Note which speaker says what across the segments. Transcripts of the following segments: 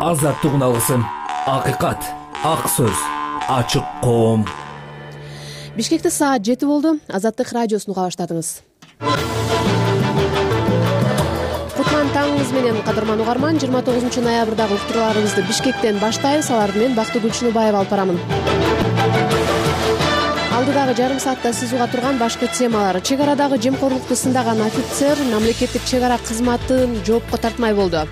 Speaker 1: Азаттыгын алгысың. Акыйкат, ак сөз, ачык коом.
Speaker 2: Бишкекте саат 7 болду. Азаттык радиосун уга баштадыңыз. Кутлан таңыңыз менен, кадырман угарман. 29 ноябрдагы уктурууларыбызды Бишкектен баштайбыз. Алар менен Бактыгүл Чыныбаева алып барамын. Алдыдагы жарым саатта сиз уга турган башкы темалар: чек арадагы жемкорлукту сындаган офицер мамлекеттик чек ара кызматын жоопко тартмай болду.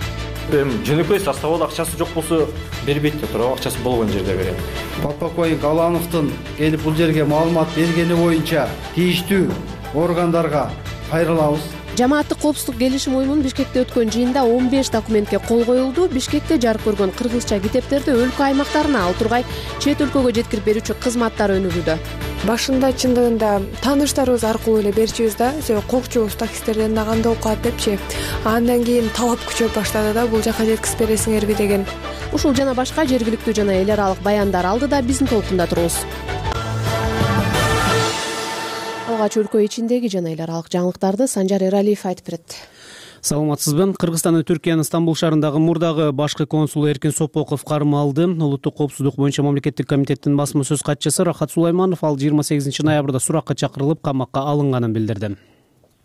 Speaker 3: Жөнөкөй составда акчасы жок болсо бербейт да туурабы, акчасы болгон жерде берет.
Speaker 4: Подполковник Алановдун келип бул жерге маалымат бергени боюнча тийиштүү органдарга кайрылабыз.
Speaker 2: Жамааттык коопсуздук келишим уюмунун Бишкекте өткөн жыйында 15 документке кол коюлду. Бишкекте жарык көргөн кыргызча китептерди өлкө аймактарына, ал тургай чет өлкөгө жеткирип берүүчү кызматтар өнүгүүдө.
Speaker 5: Башында чындыгында тааныштарыбыз аркылуу эле берчүбүз да, кокчубуз таксистерден да кандай окуат депчи. Андан кийин талап күчөп баштады да, бул жака жеткизип бересиңерби деген.
Speaker 2: Ушул жана башка жергиликтүү жана эл аралык баяндар алдыда биздин толкунда туруңуз. Алгач өлкө ичиндеги жана эл аралык жаңылыктарды Санжар Эралиев айтып берет.
Speaker 6: Саламатсызбы? Кыргызстандын Түркиянын Стамбул шаарындагы мурдагы башкы консулу Эркин Сопоков кармалды. Улуттук коопсуздук боюнча мамлекеттик комитеттин басма сөз катчысы Рахат Сулайманов ал 28 ноябрда суракка чакырылып камакка алынганын билдирди.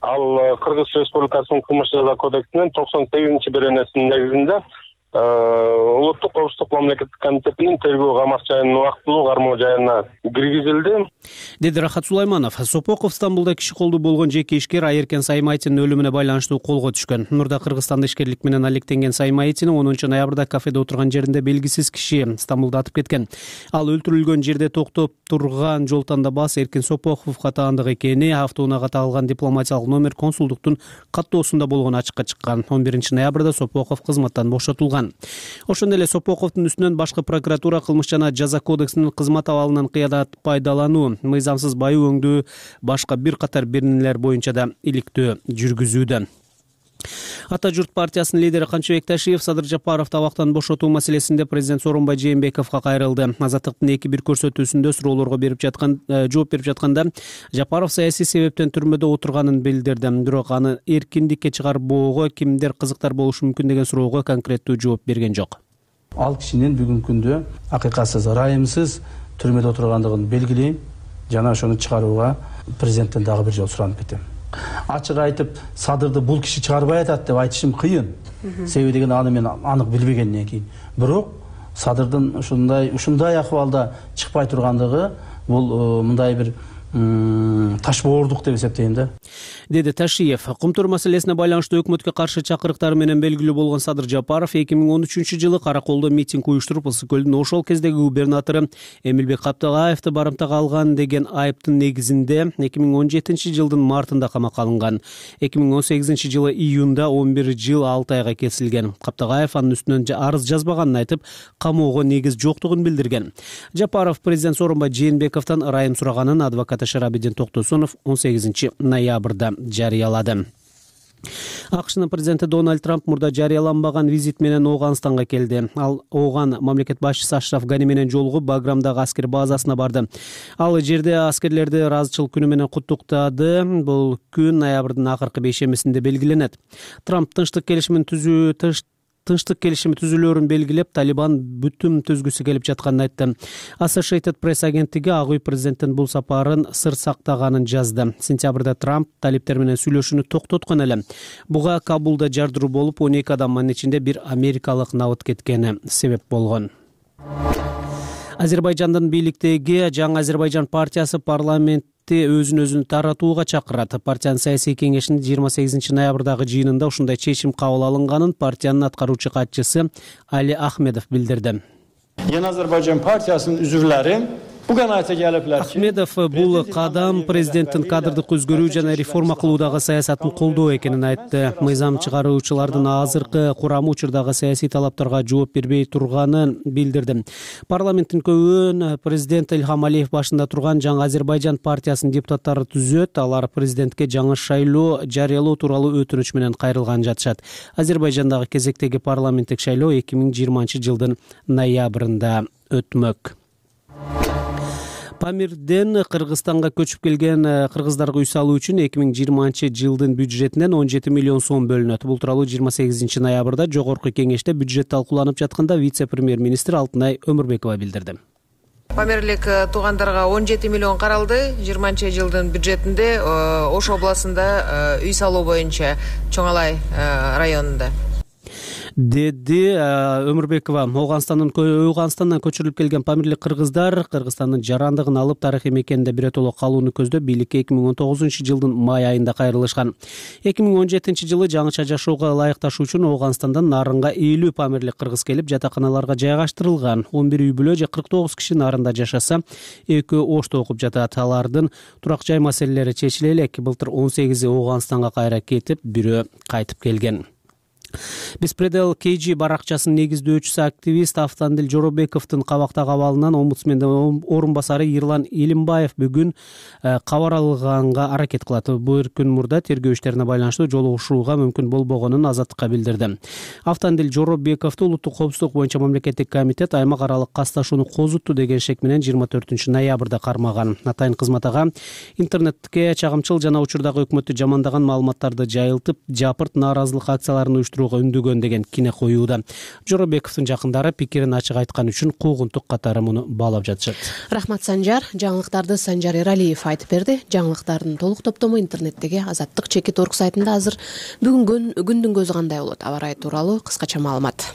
Speaker 7: Ал Кыргыз Республикасынын кылмыш жаза кодексинин 98-беренесинин негизинде улуттук коопсуздук мамлекеттик комитетинин тергөө камак жайынын убактылуу кармоо жайына киргизилди,
Speaker 6: деди Рахат Сулайманов. Сопоков Стамбулда киши колдуу болгон жеке ишкер Айеркен Саймайтинин өлүмүнө байланыштуу колго түшкөн. Мурда Кыргызстанда ишкерлик менен алектенген Саймайтин 10 ноябрда кафеде отурган жеринде белгисиз киши Стамбулда атып кеткен. Ал өлтүрүлгөн жерде токтоп турган жол тандабас Эркин Сопоковго таандык экени, автоунаага тагылган дипломатиялык номер консулдуктун каттоосунда болгону ачыкка чыккан. 11 ноябрда Сопоков кызматтан бошотулган. Ошондой эле Сопоковдун үстүнөн башкы прокуратура кылмыш жана жаза кодексинин кызмат абалынан кыянат пайдалануу, мыйзамсыз байоо өңдүү, башка бир катар беренелер боюнча да иликтөө жүргүзүүдө. Ата журт партиясынын лидери Канчыбек Ташиев Садыр Жапаров табактан бошотуу маселесинде президент Сооронбай Жээнбековго кайрылды. Азаттыктын 2-1 көрсөтүүсүндө суроолорго жооп берип жатканда Жапаров саясий себептен түрмөдө отурганын билдирди. Бирок аны эркиндикке чыгарбоого кимдер кызыктар болушу мүмкүн деген суроого конкреттүү жооп берген жок.
Speaker 4: Ал кишинин бүгүнкү күндө акыйкатсыз, ырайымсыз түрмөдө отургандыгын белгилейм жана ошону чыгарууга президенттен дагы бир жолу суранып кетем. Ачык айтып, Садырды бул киши чыгарбай атат деп айтышым кыйын. Себеби деген аны мен анык билбегенден кийин. Бирок Садырдын ушундай акыбалда чыкпай тургандыгы бул мындай бир ташбоордук деп эсептейм да,
Speaker 6: деди Ташиев. Кумтур маселесине байланыштуу өкмөткө каршы чакырыктары менен белгилүү болгон Садыр Жапаров 2013-жылы Караколдо митинг уюштуруп, Ысык көлдүн ошол кездеги губернатору Эмилбек Каптагаевди барымтага алган деген айыптын негизинде 2017-жылдын мартында камакка алынган. 2018-жылы июнда 11 жыл 6 айга кесилген. Каптагаев анын үстүнөн арыз жазбаганын айтып, камоого негиз жоктугун билдирген. Жапаров президент Сооронбай Жээнбековдон ырайым сураганын адвокаты Шарабидин Токтосунов 18 ноябрда жарыялады. АКШнын президенти Дональд Трамп мурда жарыяланбаган визит менен Ооганстанга келди. Ал Ооган мамлекет башчысы Ашраф Гани менен жолугуп Баграмдагы аскер базасына барды. Ал жерде аскерлерди ыраазычылык күнү менен куттуктады. Бул күн ноябрдын акыркы бейшембисинде белгиленет. Трамп тынчтык келишими түзүлөөрүн белгилеп, Талибан бүтүн түзгүсү келип жатканын айтты. Associated Press агенттиги Ак үй президенттин бул сапарын сыр сактаганын жазды. Сентябрда Трамп талиптер менен сүйлөшүүнү токтоткон эле. Буга Кабулда жардыруу болуп, 12 адамдын ичинде бир америкалык набыт кеткени себеп болгон. Азербайжандын бийликтеги Жаңы Азербайжан партиясы өзүн таратууга чакырат. Партиянын саясий кеңешинин 28 ноябрдагы жыйынында ушундай чечим кабыл алынганын партиянын аткаруучу катчысы Али Ахмедов билдирди.
Speaker 8: Жаңы Азербайжан партиясынын үзүрлөрү
Speaker 6: Ахмедов бул кадам президенттин кадрдык өзгөрүү жана реформа кылуудагы саясатын колдоо экенин айтты. Мыйзам чыгаруучулардын азыркы курамы учурдагы саясий талаптарга жооп бербей турганын билдирди. Парламенттин көбүн президент Илхам Алиев башында турган Жаңы Азербайжан партиясынын депутаттары түзөт. Алар президентке жаңы шайлоо жарыялоо тууралуу өтүнүч менен кайрылган жатышат. Азербайжандагы кезектеги парламенттик шайлоо 2020-жылдын ноябрында өтмөк. Памирден Кыргызстанга көчүп келген кыргыздарга үй салуу үчүн 2020-жылдын бюджетинен 17 миллион сом бөлүнөт. Бул тууралуу 28 ноябрда Жогорку Кеңеште бюджет талкууланып жатканда вице-премьер-министр Алтынай Өмүрбекова билдирди.
Speaker 9: Памирлик туугандарга 17 миллион каралды. 20-жылдын бюджетинде Ош областында үй салуу боюнча Чоң Алай районунда,
Speaker 6: деди Өмүрбекова. Ооганстандан көчүрүлүп келген памирлик кыргыздар Кыргызстандын жарандыгын алып тарыхый мекенинде биротоло калууну көздөп бийликке 2019-жылдын май айында кайрылышкан. 2017-жылы жаңыча жашоого ылайыкташуу үчүн Ооганстандан нарынга 50 памирлик кыргыз келип жатаканаларга жайгаштырылган. 11 үй бүлө же 49 киши нарында жашаса, 2 Ошто окуп жатат. Алардын турак жай маселелери чечиле элек. Былтыр 18 Ооганстанга кайра кетип, бирөө кайтып келген. Беспредел KG баракчасынын негиздөөчүсү активист Автандил Жоробековдун кабактагы абалынан омбудсмендин орун басары Ирлан Илимбаев бүгүн кабар алганга аракет кылат. Бир күн мурда тергөө иштерине байланыштуу жолугушууга мүмкүн болбогонун Азаттыкка билдирди. Автандил Жоробековду улуттук коопсуздук боюнча мамлекеттик комитет аймак аралык касташууну козутту деген шек менен 24 ноябрда кармаган. Атайын кызмат ага интернетке чагымчыл жана учурдагы өкмөттү жамандаган маалыматтарды жайылтып, жапырт нааразылык акцияларын уюштурууга үндөгөн деген кине коюуда. Жоробековдун жакындары пикирин ачык айткан үчүн куугунтук катары муну баалап жатышат.
Speaker 2: Рахмат, Санжар. Жаңылыктарды Санжар Эралиев айтып берди. Жаңылыктардын толук топтому интернеттеги azattik.org сайтында азыр. Бүгүн күндүн көзү кандай болот? Аба ырайы тууралуу кыскача маалымат.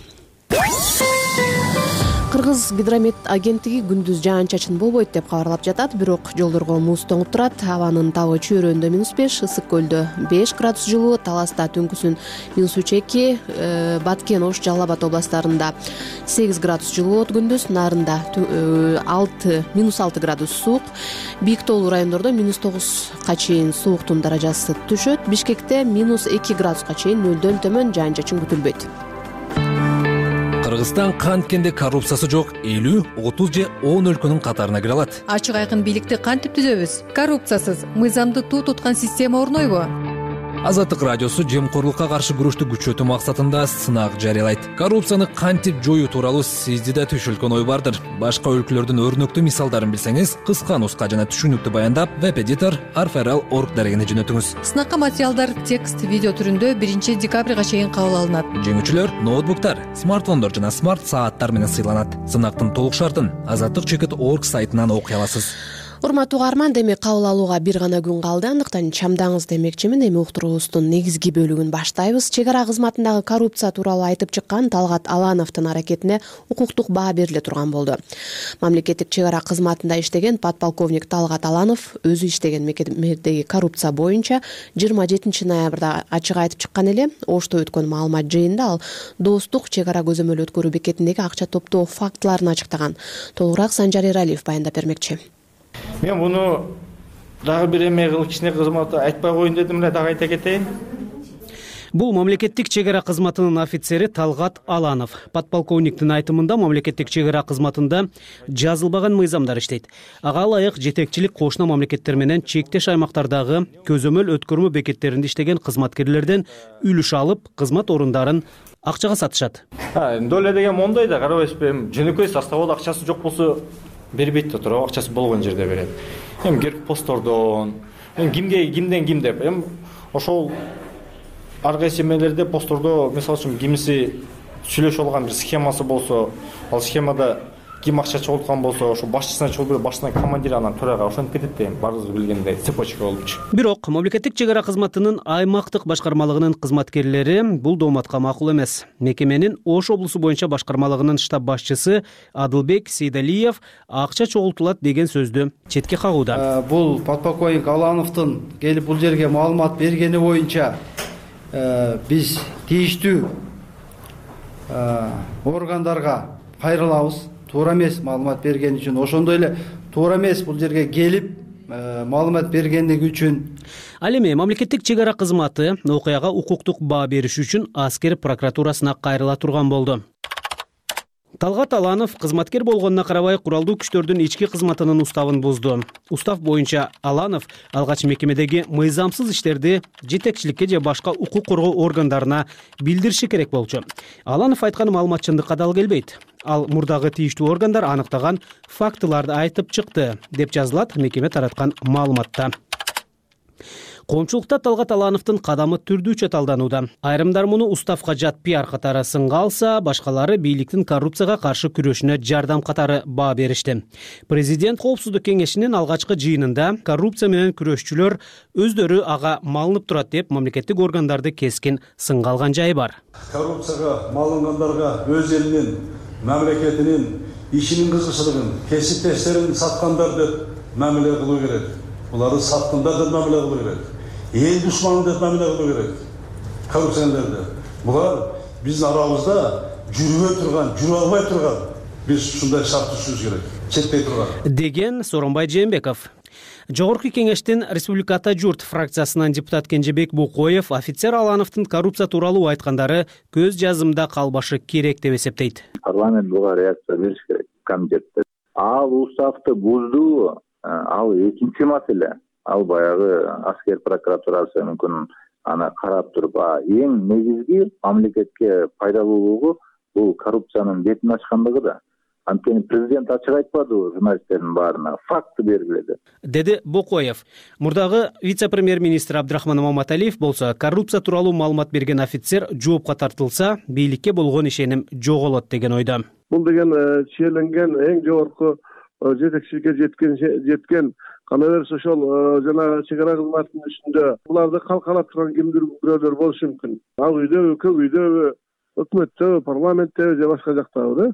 Speaker 2: Кыргыз гидромет агенттиги күндүз жаан-чачын болбойт деп кабарлап жатат, бирок жолдорго муз тоңуп турат. Абанын табы чөйрөндө -5, Ысык көлдө 5 градус жылуу, Таласта түнкүсүн -3-2, Баткен, Ош, Жалал Абад областарында 8 градус жылуу болот күндүз, нарында -6 градус суук, Бийик тоолуу райондордо -9га чейин сууктун даражасы түшөт. Бишкекте -2 градуска чейин нөлдөн төмөн жаан-чачын күтүлбөйт.
Speaker 1: Кыргызстан канткенде коррупциясы жок 50, 30 же 10 өлкөнүн катарына кире алат.
Speaker 10: Ачык айкын бийликти кантип түзөбүз? Коррупциясыз, мыйзамды туу туткан система орнойбу?
Speaker 1: Азаттык радиосу жемкорлукка каршы күрөштү күчөтүү максатында сынак жарыялайт. Коррупцияны кантип жоюу тууралуу сизде да түшүлгөн ой бардыр. Башка өлкөлөрдүн өрнөктүү мисалдарын билсеңиз, кыска нуска жана түшүнүктүү баяндап, веб-эдитор arferal.org дарегине жөнөтүңүз.
Speaker 10: Сынакка материалдар текст, видео түрүндө 1 декабрга чейин кабыл алынат.
Speaker 1: Жеңүүчүлөр ноутбуктар, смартфондор жана смарт сааттар менен сыйланат. Сынактын толук шартын azattik.org сайтынан окуй аласыз.
Speaker 2: Урматтуу угарман, демек кабыл алууга бир гана күн калды. Андыктан чамдаңыз демекчимин. Эми уктуруубуздун негизги бөлүгүн баштайбыз. Чек ара кызматындагы коррупция тууралуу айтып чыккан Талгат Алановдун аракетине укуктук баа бериле турган болду. Мамлекеттик чек ара кызматында иштеген подполковник Талгат Аланов өзү иштеген мекемедеги коррупция боюнча 27 ноябрда ачык айтып чыккан эле. Ошто өткөн маалымат жыйынында ал Достук чек ара көзөмөл өткөрүү бекетиндеги акча топтоо фактыларын ачыктаган. Толугураак Санжар Эралиев баяндап бермекчи.
Speaker 3: Мен буну дагы бир эме кылып кичине кызматты айтпай коеюн дедим эле, дагы айта кетейин.
Speaker 6: Бул мамлекеттик чек ара кызматынын офицери Талгат Аланов. Подполковниктин айтымында мамлекеттик чек ара кызматында жазылбаган мыйзамдар иштейт. Ага ылайык жетекчилик кошуна мамлекеттер менен чектеш аймактардагы көзөмөл өткөрмө бекеттеринде иштеген кызматкерлерден үлүш алып, кызмат орундарын акчага сатышат.
Speaker 3: Доле деген мондой да, карабайсызбы, жөнөкөй составда акчасы жок болсо бербейт да туурабы, акчасы болгон жерде берет. Эми герпостордон, кимден ким деп, эми ошол ар кайсы эмелерде постордо, мисалы үчүн кимиси сүйлөшүп алган бир схемасы болсо, ал схемада ким акча чогулткан болсо, ошо башчысына чогулуп, башчысына командир, анан төрага ошентип кетет да, баарыбыз билгендей цепочка болупчу.
Speaker 6: Бирок мамлекеттик чек ара кызматынын аймактык башкармалыгынын кызматкерлери бул дооматка макул эмес. Мекеменин Ош облусу боюнча башкармалыгынын штаб башчысы Адылбек Сейдалиев акча чогултулат деген сөздү четке кагууда.
Speaker 11: Бул подполковник Алановдун келип бул жерге маалымат бергени боюнча биз тийиштүү органдарга кайрылабыз. Туура эмес маалымат берген үчүн, ошондой эле туура эмес бул жерге келип маалымат бергендиги үчүн.
Speaker 6: Ал эми мамлекеттик чек ара кызматы окуяга укуктук баа бериш үчүн аскер прокуратурасына кайрыла турган болду. Талгат Аланов кызматкер болгонуна карабай куралдуу күчтөрдүн ички кызматынын уставын бузду. Устав боюнча Аланов алгач мекемедеги мыйзамсыз иштерди жетекчиликке же башка укук коргоо органдарына билдириши керек болчу. Аланов айткан маалымат чындыкка дал келбейт. Ал мурдагы тийиштүү органдар аныктаган фактыларды айтып чыкты, деп жазылат мекеме тараткан маалыматта. Коомчулукта Талгат Алановдун кадамы түрдүүчө талданууда. Айрымдар муну уставка жат пиар катары сынга алса, башкалары бийликтин коррупцияга каршы күрөшүнө жардам катары баа беришти. Президент Коопсуздук кеңешинин алгачкы жыйынында коррупция менен күрөшчүлөр өздөрү ага малынып турат деп мамлекеттик органдарды кескин сынга алган жайы бар.
Speaker 12: Коррупцияга малынгандарга өз элинин, мамлекетинин, ишинин кызыкчылыгын, кесиптештерин саткандар деп мамиле кылуу керек. Буларды саткандар деп мамиле кылуу керек. Эл душманы деп мамиле кылуу керек. Коррупционерлерди. Булар биздин арабызда жүрө албай турган. Биз ушундай шарт түзүшүбүз керек. Четпей турган.
Speaker 6: Деген Сооронбай Жээнбеков. Жогорку кеңештин Республиката журт фракциясынан депутат Кенжебек Букоев офицер Алановдун коррупция тууралуу айткандары көз жазымда калбашы керек деп эсептейт.
Speaker 13: Парламент буга реакция бериш керек. Комитетте ал уставды бузду, ал экинчи маселе. Ал баягы аскер прокуратурасы мүмкүн аны карап туруп, эң негизги мамлекетке пайдалуулугу бул коррупциянын бетин ачкандыгы да. Анткени президент ачык айтпадыбы журналисттердин баарына, факты белгиледи.
Speaker 6: Деди Бокоев. Мурдагы вице-премьер-министр Абдрахман Маматалиев болсо, коррупция тууралуу маалымат берген офицер жоопко тартылса, бийликке болгон ишеним жоголот деген ойдо.
Speaker 14: Бул деген чийиленген эң жогорку жетекчиликке жеткен кана берсе ошол жана чек ара кызматынын ичинде буларды калкалап турган кимдир бирөөлөр болушу мүмкүн. Ал үйдөбү, көк үйдөбү, өкмөттөбү, парламенттеби же башка жактабы да.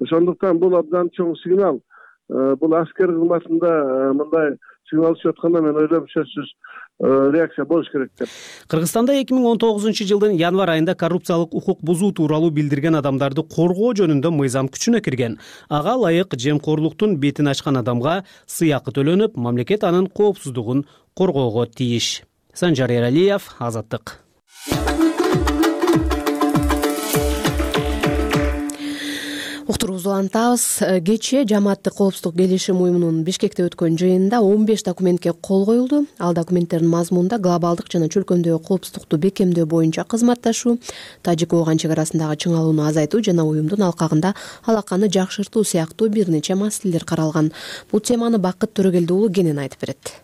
Speaker 14: Ошондуктан бул абдан чоң сигнал. Бул аскер кызматында мындай сигнал түшүп атканда мен ойлойм сөзсүз реакция болуш керек деп.
Speaker 6: Кыргызстанда 2019-жылдын январь айында коррупциялык укук бузуу тууралуу билдирген адамдарды коргоо жөнүндө мыйзам күчүнө кирген. Ага ылайык жемкорлуктун бетин ачкан адамга сыйакы төлөнүп, мамлекет анын коопсуздугун коргоого тийиш. Санжар Эралиев, Азаттык.
Speaker 2: Уктуруубузду улантабыз. Кечээ Жамааттык коопсуздук келишим уюмунун Бишкекте өткөн жыйынында 15 документке кол коюлду. Ал документтердин мазмунунда глобалдык жана чөлкөмдөгү коопсуздукту бекемдөө боюнча кызматташуу, Тажик-Ооган чек арасындагы чыңалууну азайтуу жана уюмдун алкагында алаканы жакшыртуу сыяктуу бир нече маселелер каралган. Бул теманы Бакыт Төрөгелди уулу кенен айтып берет.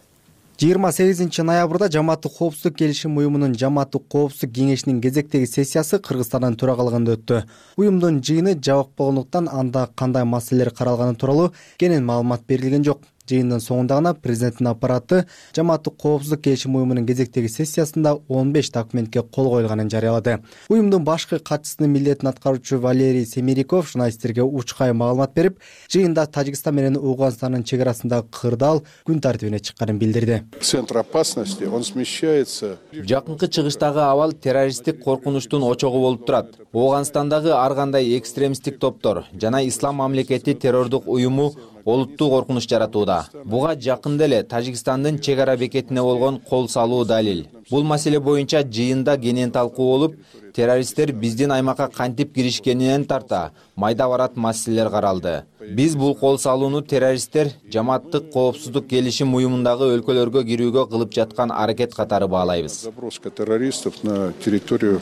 Speaker 15: 28 ноябрда Жамааттык коопсуздук келишим уюмунун Жамааттык коопсуздук кеңешинин кезектеги сессиясы Кыргызстандын төрагалыгында өттү. Уюмдун жыйыны жабык болгондуктан анда кандай маселелер каралганы тууралуу кенен маалымат берилген жок. Жыйындын соңунда гана президенттин аппараты Жамааттык коопсуздук келишим уюмунун кезектеги сессиясында 15 документке кол коюлганын жарыялады. Уюмдун башкы катчысынын милдетин аткаруучу Валерий Семериков журналисттерге учкай маалымат берип, жыйында Тажикстан менен Ооганстандын чек арасындагы кырдаал күн тартибине чыкканын билдирди.
Speaker 16: Центр опасности, он смещается.
Speaker 17: Жакынкы чыгыштагы абал террористтик коркунучтун очогу болуп турат. Ооганстандагы ар кандай экстремисттик топтор жана ислам мамлекети террордук уюму олуттуу коркунуч жаратууда. Буга жакында эле Тажикстандын чек ара бекетине болгон кол салуу далил. Бул маселе боюнча жыйында кенен талкуу болуп, террористтер биздин аймакка кантип киришкенинен тарта майда барат маселелер каралды. Биз бул кол салууну террористтер Жамааттык коопсуздук келишим уюмундагы өлкөлөргө кирүүгө кылып жаткан аракет катары баалайбыз.
Speaker 16: Заброска террористов на территорию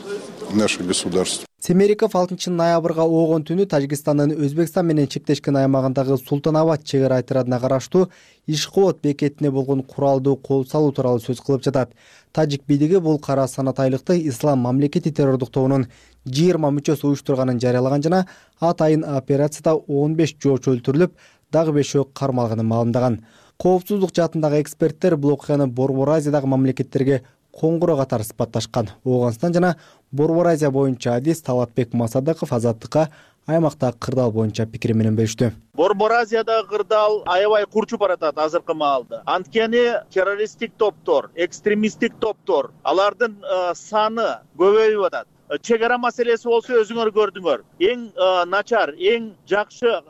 Speaker 16: наших государств.
Speaker 15: Семериков 6 ноябрга Оогон түнү Тажикстандын Өзбекстан менен чектешкен аймагындагы Султанабад чек ара отрядына караштуу Ишкобод бекетине болгон куралдуу кол салуу тууралуу сөз кылып жатат. Тажик бийлиги бул кара санатайлыкты ислам мамлекети террордук тобунун 20 мүчөсү уюштурганын жарыялаган жана атайын операцияда 15 жоочу өлтүрүлүп, дагы 5 кармалганын маалымдаган. Коопсуздук жаатындагы эксперттер бул окуяны Борбор Азиядагы мамлекеттерге коңгуроо катары сыпатташкан. Ооганстан жана Борбор Азия боюнча адис Талатбек Масадыков Азаттыкка аймактагы кырдаал боюнча пикири менен бөлүштү.
Speaker 18: Борбор Азиядагы кырдаал аябай курчуп баратат азыркы маалда. Анткени террористтик топтор, экстремисттик топтор, алардын саны көбөйүп атат. Чек ара маселеси болсо өзүңөр көрдүңөр. Эң начар, эң жакшы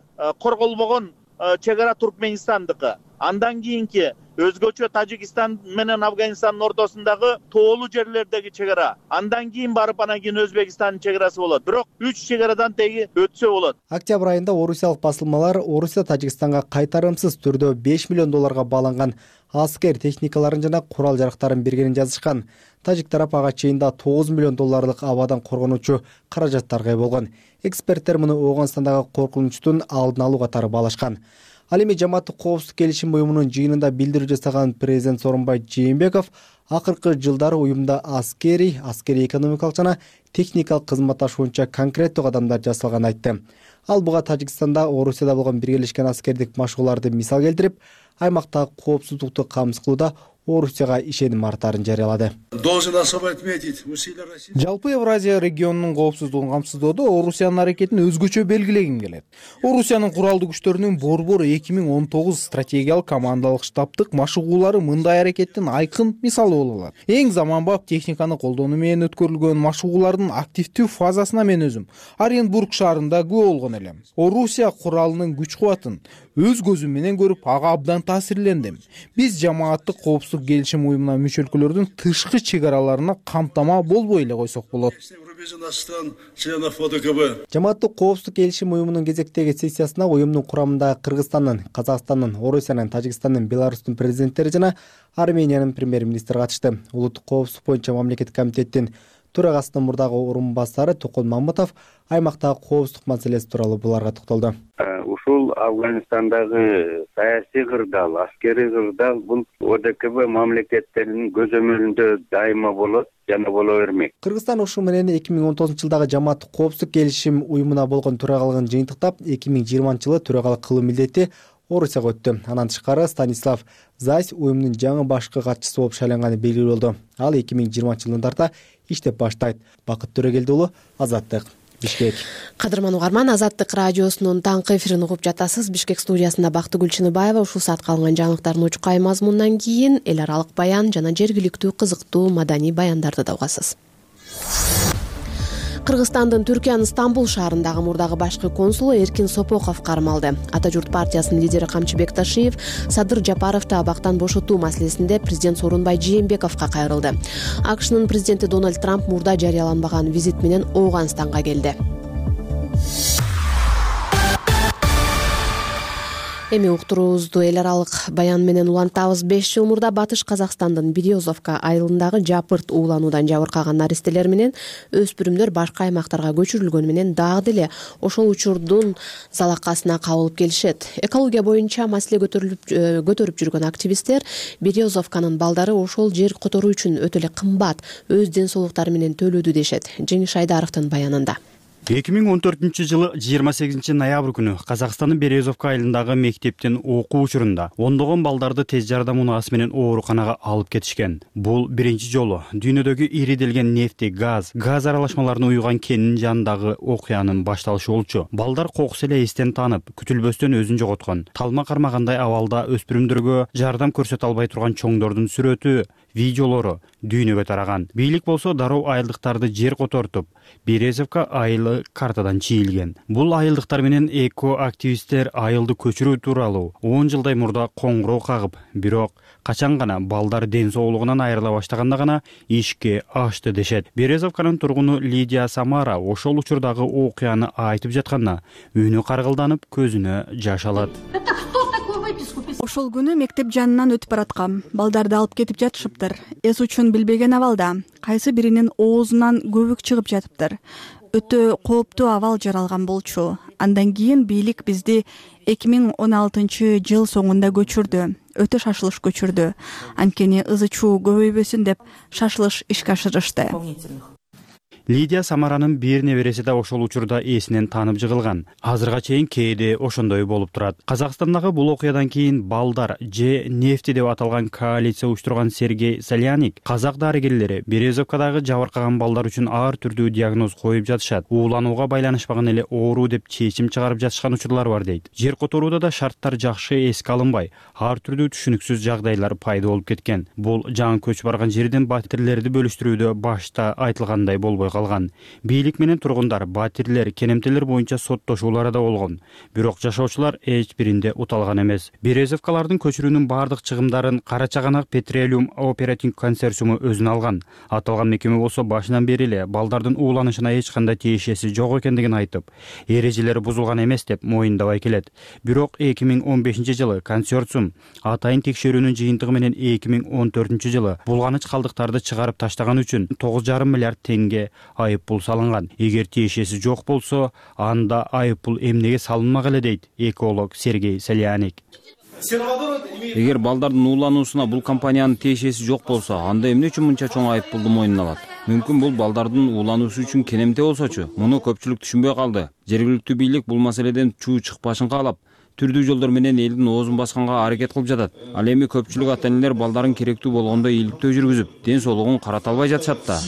Speaker 18: корголбогон чек ара Туркменистандыкы. Андан кийинки өзгөчө Тажикстан менен Афганистандын ортосундагы тоолуу жерлердеги чек ара. Андан кийин барып анан кийин Өзбекстандын чек арасы болот. Бирок 3 чек арадан теги өтсө болот.
Speaker 15: Октябрь айында орусиялык басылмалар Орусия Тажикстанга кайтарымсыз түрдө $5 миллион бааланган аскер техникаларын жана курал жарактарын бергенин жазышкан. Тажик тарап ага чейин да $9 миллион абадан коргонуучу каражаттарга ээ болгон. Эксперттер муну Ооганстандагы коркунучтун алдын алуу катары баалашкан. Ал эми жамааттык коопсуздук келишим уюмунун жыйынында билдирүү жасаган президент Сооронбай Жээнбеков акыркы жылдары уюмда аскерий экономикалык жана техникалык кызматташ боюнча конкреттүү кадамдар жасалганын айтты. Ал буга Тажикстанда Орусияда болгон биргелешкен аскердик машыгууларды мисал келтирип, аймактагы коопсуздукту камсыз кылууда Орусияга ишеним артарын жарыялады.
Speaker 19: Жалпы Евразия регионунун коопсуздугун камсыздоодо Орусиянын аракетин өзгөчө белгилегим келет. Орусиянын куралдуу күчтөрүнүн борбор 2019 стратегиялык командалык штабтык машыгуулары мындай аракеттин айкын мисалы боло алат. Эң заманбап техниканы колдонуу менен өткөрүлгөн машыгуулардын активдүү фазасына мен өзүм Оренбург шаарында күбө болгон элем. Орусия куралынын күч кубатын өз көзүм менен көрүп, ага абдан таасирлендим. Биз жамааттык коопсуздук келишим уюмуна мүчө өлкөлөрдүн тышкы чек араларына камтама болбой эле койсок болот.
Speaker 15: Жамааттык коопсуздук келишим уюмунун кезектеги сессиясына уюмдун курамындагы Кыргызстандын, Казакстандын, Орусиянын, Тажикстандын, Беларустун президенттери жана Армениянын премьер-министри катышты. Улуттук коопсуздук боюнча мамлекеттик комитеттин төрагасынын мурдагы орун басары Токон Мамытов аймактагы коопсуздук маселеси тууралуу буларга токтолду.
Speaker 20: Ушул Афганистандагы саясий кырдаал, аскерий кырдаал бул ОДКБ мамлекеттеринин көзөмөлүндө дайыма болот жана боло бермек.
Speaker 15: Кыргызстан ушул менен 2019-жылдагы жамааттык коопсуздук келишим уюмуна болгон төрагалыгын жыйынтыктап, 2020-жылы төрагалык кылуу милдети Орусияга өттү. Анан тышкары Станислав Зайс уюмдун жаңы башкы катчысы болуп шайланганы белгилүү болду. Ал 2020-жылдан тарта иштеп баштайт. Бакыт Төрөгелди уулу, Азаттык, Бишкек.
Speaker 2: Кадырман угарман, Азаттык радиосунун таңкы эфирин угуп жатасыз. Бишкек студиясында Бактыгүл Чыныбаева. Ушул саатка алынган жаңылыктардын учкай мазмунунан кийин эл аралык баян жана жергиликтүү кызыктуу маданий баяндарды да угасыз. Кыргызстандын Түркиянын Стамбул шаарындагы мурдагы башкы консулу Эркин Сопоков кармалды. Ата журт партиясынын лидери Камчыбек Ташиев Садыр Жапаровду абактан бошотуу маселесинде президент Сооронбай Жээнбековго кайрылды. АКШнын президенти Дональд Трамп мурда жарыяланбаган визит менен Ооганстанга келди. Эми уктуруубузду эл аралык баян менен улантабыз. 5 жыл мурда Батыш Казакстандын Березовка айылындагы жапырт уулануудан жабыркаган наристелер менен өспүрүмдөр башка аймактарга көчүрүлгөнү менен дагы деле ошол учурдун залакасына кабылып келишет. Экология боюнча маселе көтөрүп жүргөн активисттер Березовканын балдары ошол жер которуу үчүн өтө эле кымбат, өз ден соолуктары менен төлөдү дешет. Жеңиш Айдаровдун баянында.
Speaker 21: 2014-жылы 28 ноябрь күнү Казакстандын Березовка айылындагы мектептин окуу учурунда ондогон балдарды тез жардам унаасы менен ооруканага алып кетишкен. Бул биринчи жолу дүйнөдөгү ириделген нефти, газ аралашмаларын уюган кенин жанындагы окуянын башталышы болчу. Балдар кокус эле эстен таанып, күтүлбөстөн өзүн жоготкон. Талма кармагандай абалда өспүрүмдөргө жардам көрсөтө албай турган чоңдордун сүрөтү, видеолору дүйнөгө тараган. Бийлик болсо дароо айылдыктарды жер котортуп, Березовка айылы картадан чийилген. Бул айылдыктар менен эко-активисттер айылды көчүрүү тууралуу 10 жылдай мурда коңгуроо кагып, бирок качан гана балдар ден соолугунан айрыла баштаганда гана ишке ашты дешет. Березовканын тургуну Лидия Самара ошол учурдагы окуяны айтып жатканда үнү каргылданып, көзүнө жаш алат.
Speaker 22: Ошол күнү мектеп жанынан өтүп бараткам. Балдарды алып кетип жатышыптыр. Эс учун билбеген абалда. Кайсы биринин оозунан көбүк чыгып жатыптыр. Өтө кооптуу абал жаралган болчу. Андан кийин бийлик бизди 2016-жыл соңунда көчүрдү. Өтө шашылыш көчүрдү. Анткени ызы чуу көбөйбөсүн деп шашылыш ишке ашырышты.
Speaker 21: Лидия Самаранын бир небереси да ошол учурда эсинен таанып жыгылган. Азырга чейин кээде ошондой болуп турат. Казакстандагы бул окуядан кийин балдар же нефти деп аталган коалиция уюштурган Сергей Соляник казак дарыгерлери Березовкадагы жабыркаган балдар үчүн ар түрдүү диагноз коюп жатышат. Ууланууга байланышпаган эле оору деп чечим чыгарып жатышкан учурлар бар дейт. Жер которууда да шарттар жакшы эске алынбай, ар түрдүү түшүнүксүз жагдайлар пайда болуп кеткен. Бул жаңы көчүп барган жердин батирлерди бөлүштүрүүдө башта айтылгандай болбой козголгон. Бийлик менен тургундар батирлер, кенемтелер боюнча соттошуулар да болгон. Бирок жашоочулар эч биринде уталган эмес. Березовкалардын көчүрүүнүн бардык чыгымдарын Кара Чаганак Petroleum Operating консорциуму өзүнө алган. Аталган мекеме болсо башынан бери эле балдардын ууланышына эч кандай тиешеси жок экендигин айтып, эрежелери бузулган эмес деп моюндабай келет. Бирок 2015-жылы консорциум атайын текшерүүнүн жыйынтыгы менен 2014-жылы булганыч калдыктарды чыгарып таштаган үчүн 9,5 миллиард теңге айыппул салынган. Эгер тиешеси жок болсо, анда айыппул эмнеге салынмак эле дейт эколог Сергей Соляник.
Speaker 5: Эгер балдардын уулануусуна бул компаниянын тиешеси жок болсо, анда эмне үчүн мынча чоң айыппулду мойнуна алат? Мүмкүн бул балдардын уулануусу үчүн кенемте болсочу. Муну көпчүлүк түшүнбөй калды. Жергиликтүү бийлик бул маселеден чуу чыкпашын каалап, түрдүү жолдор менен элдин оозун басканга аракет кылып жатат. Ал эми көпчүлүк ата-энелер балдарын керектүү болгондо ийгиликтөө жүргүзүп, ден соолугун карата албай жатышат да.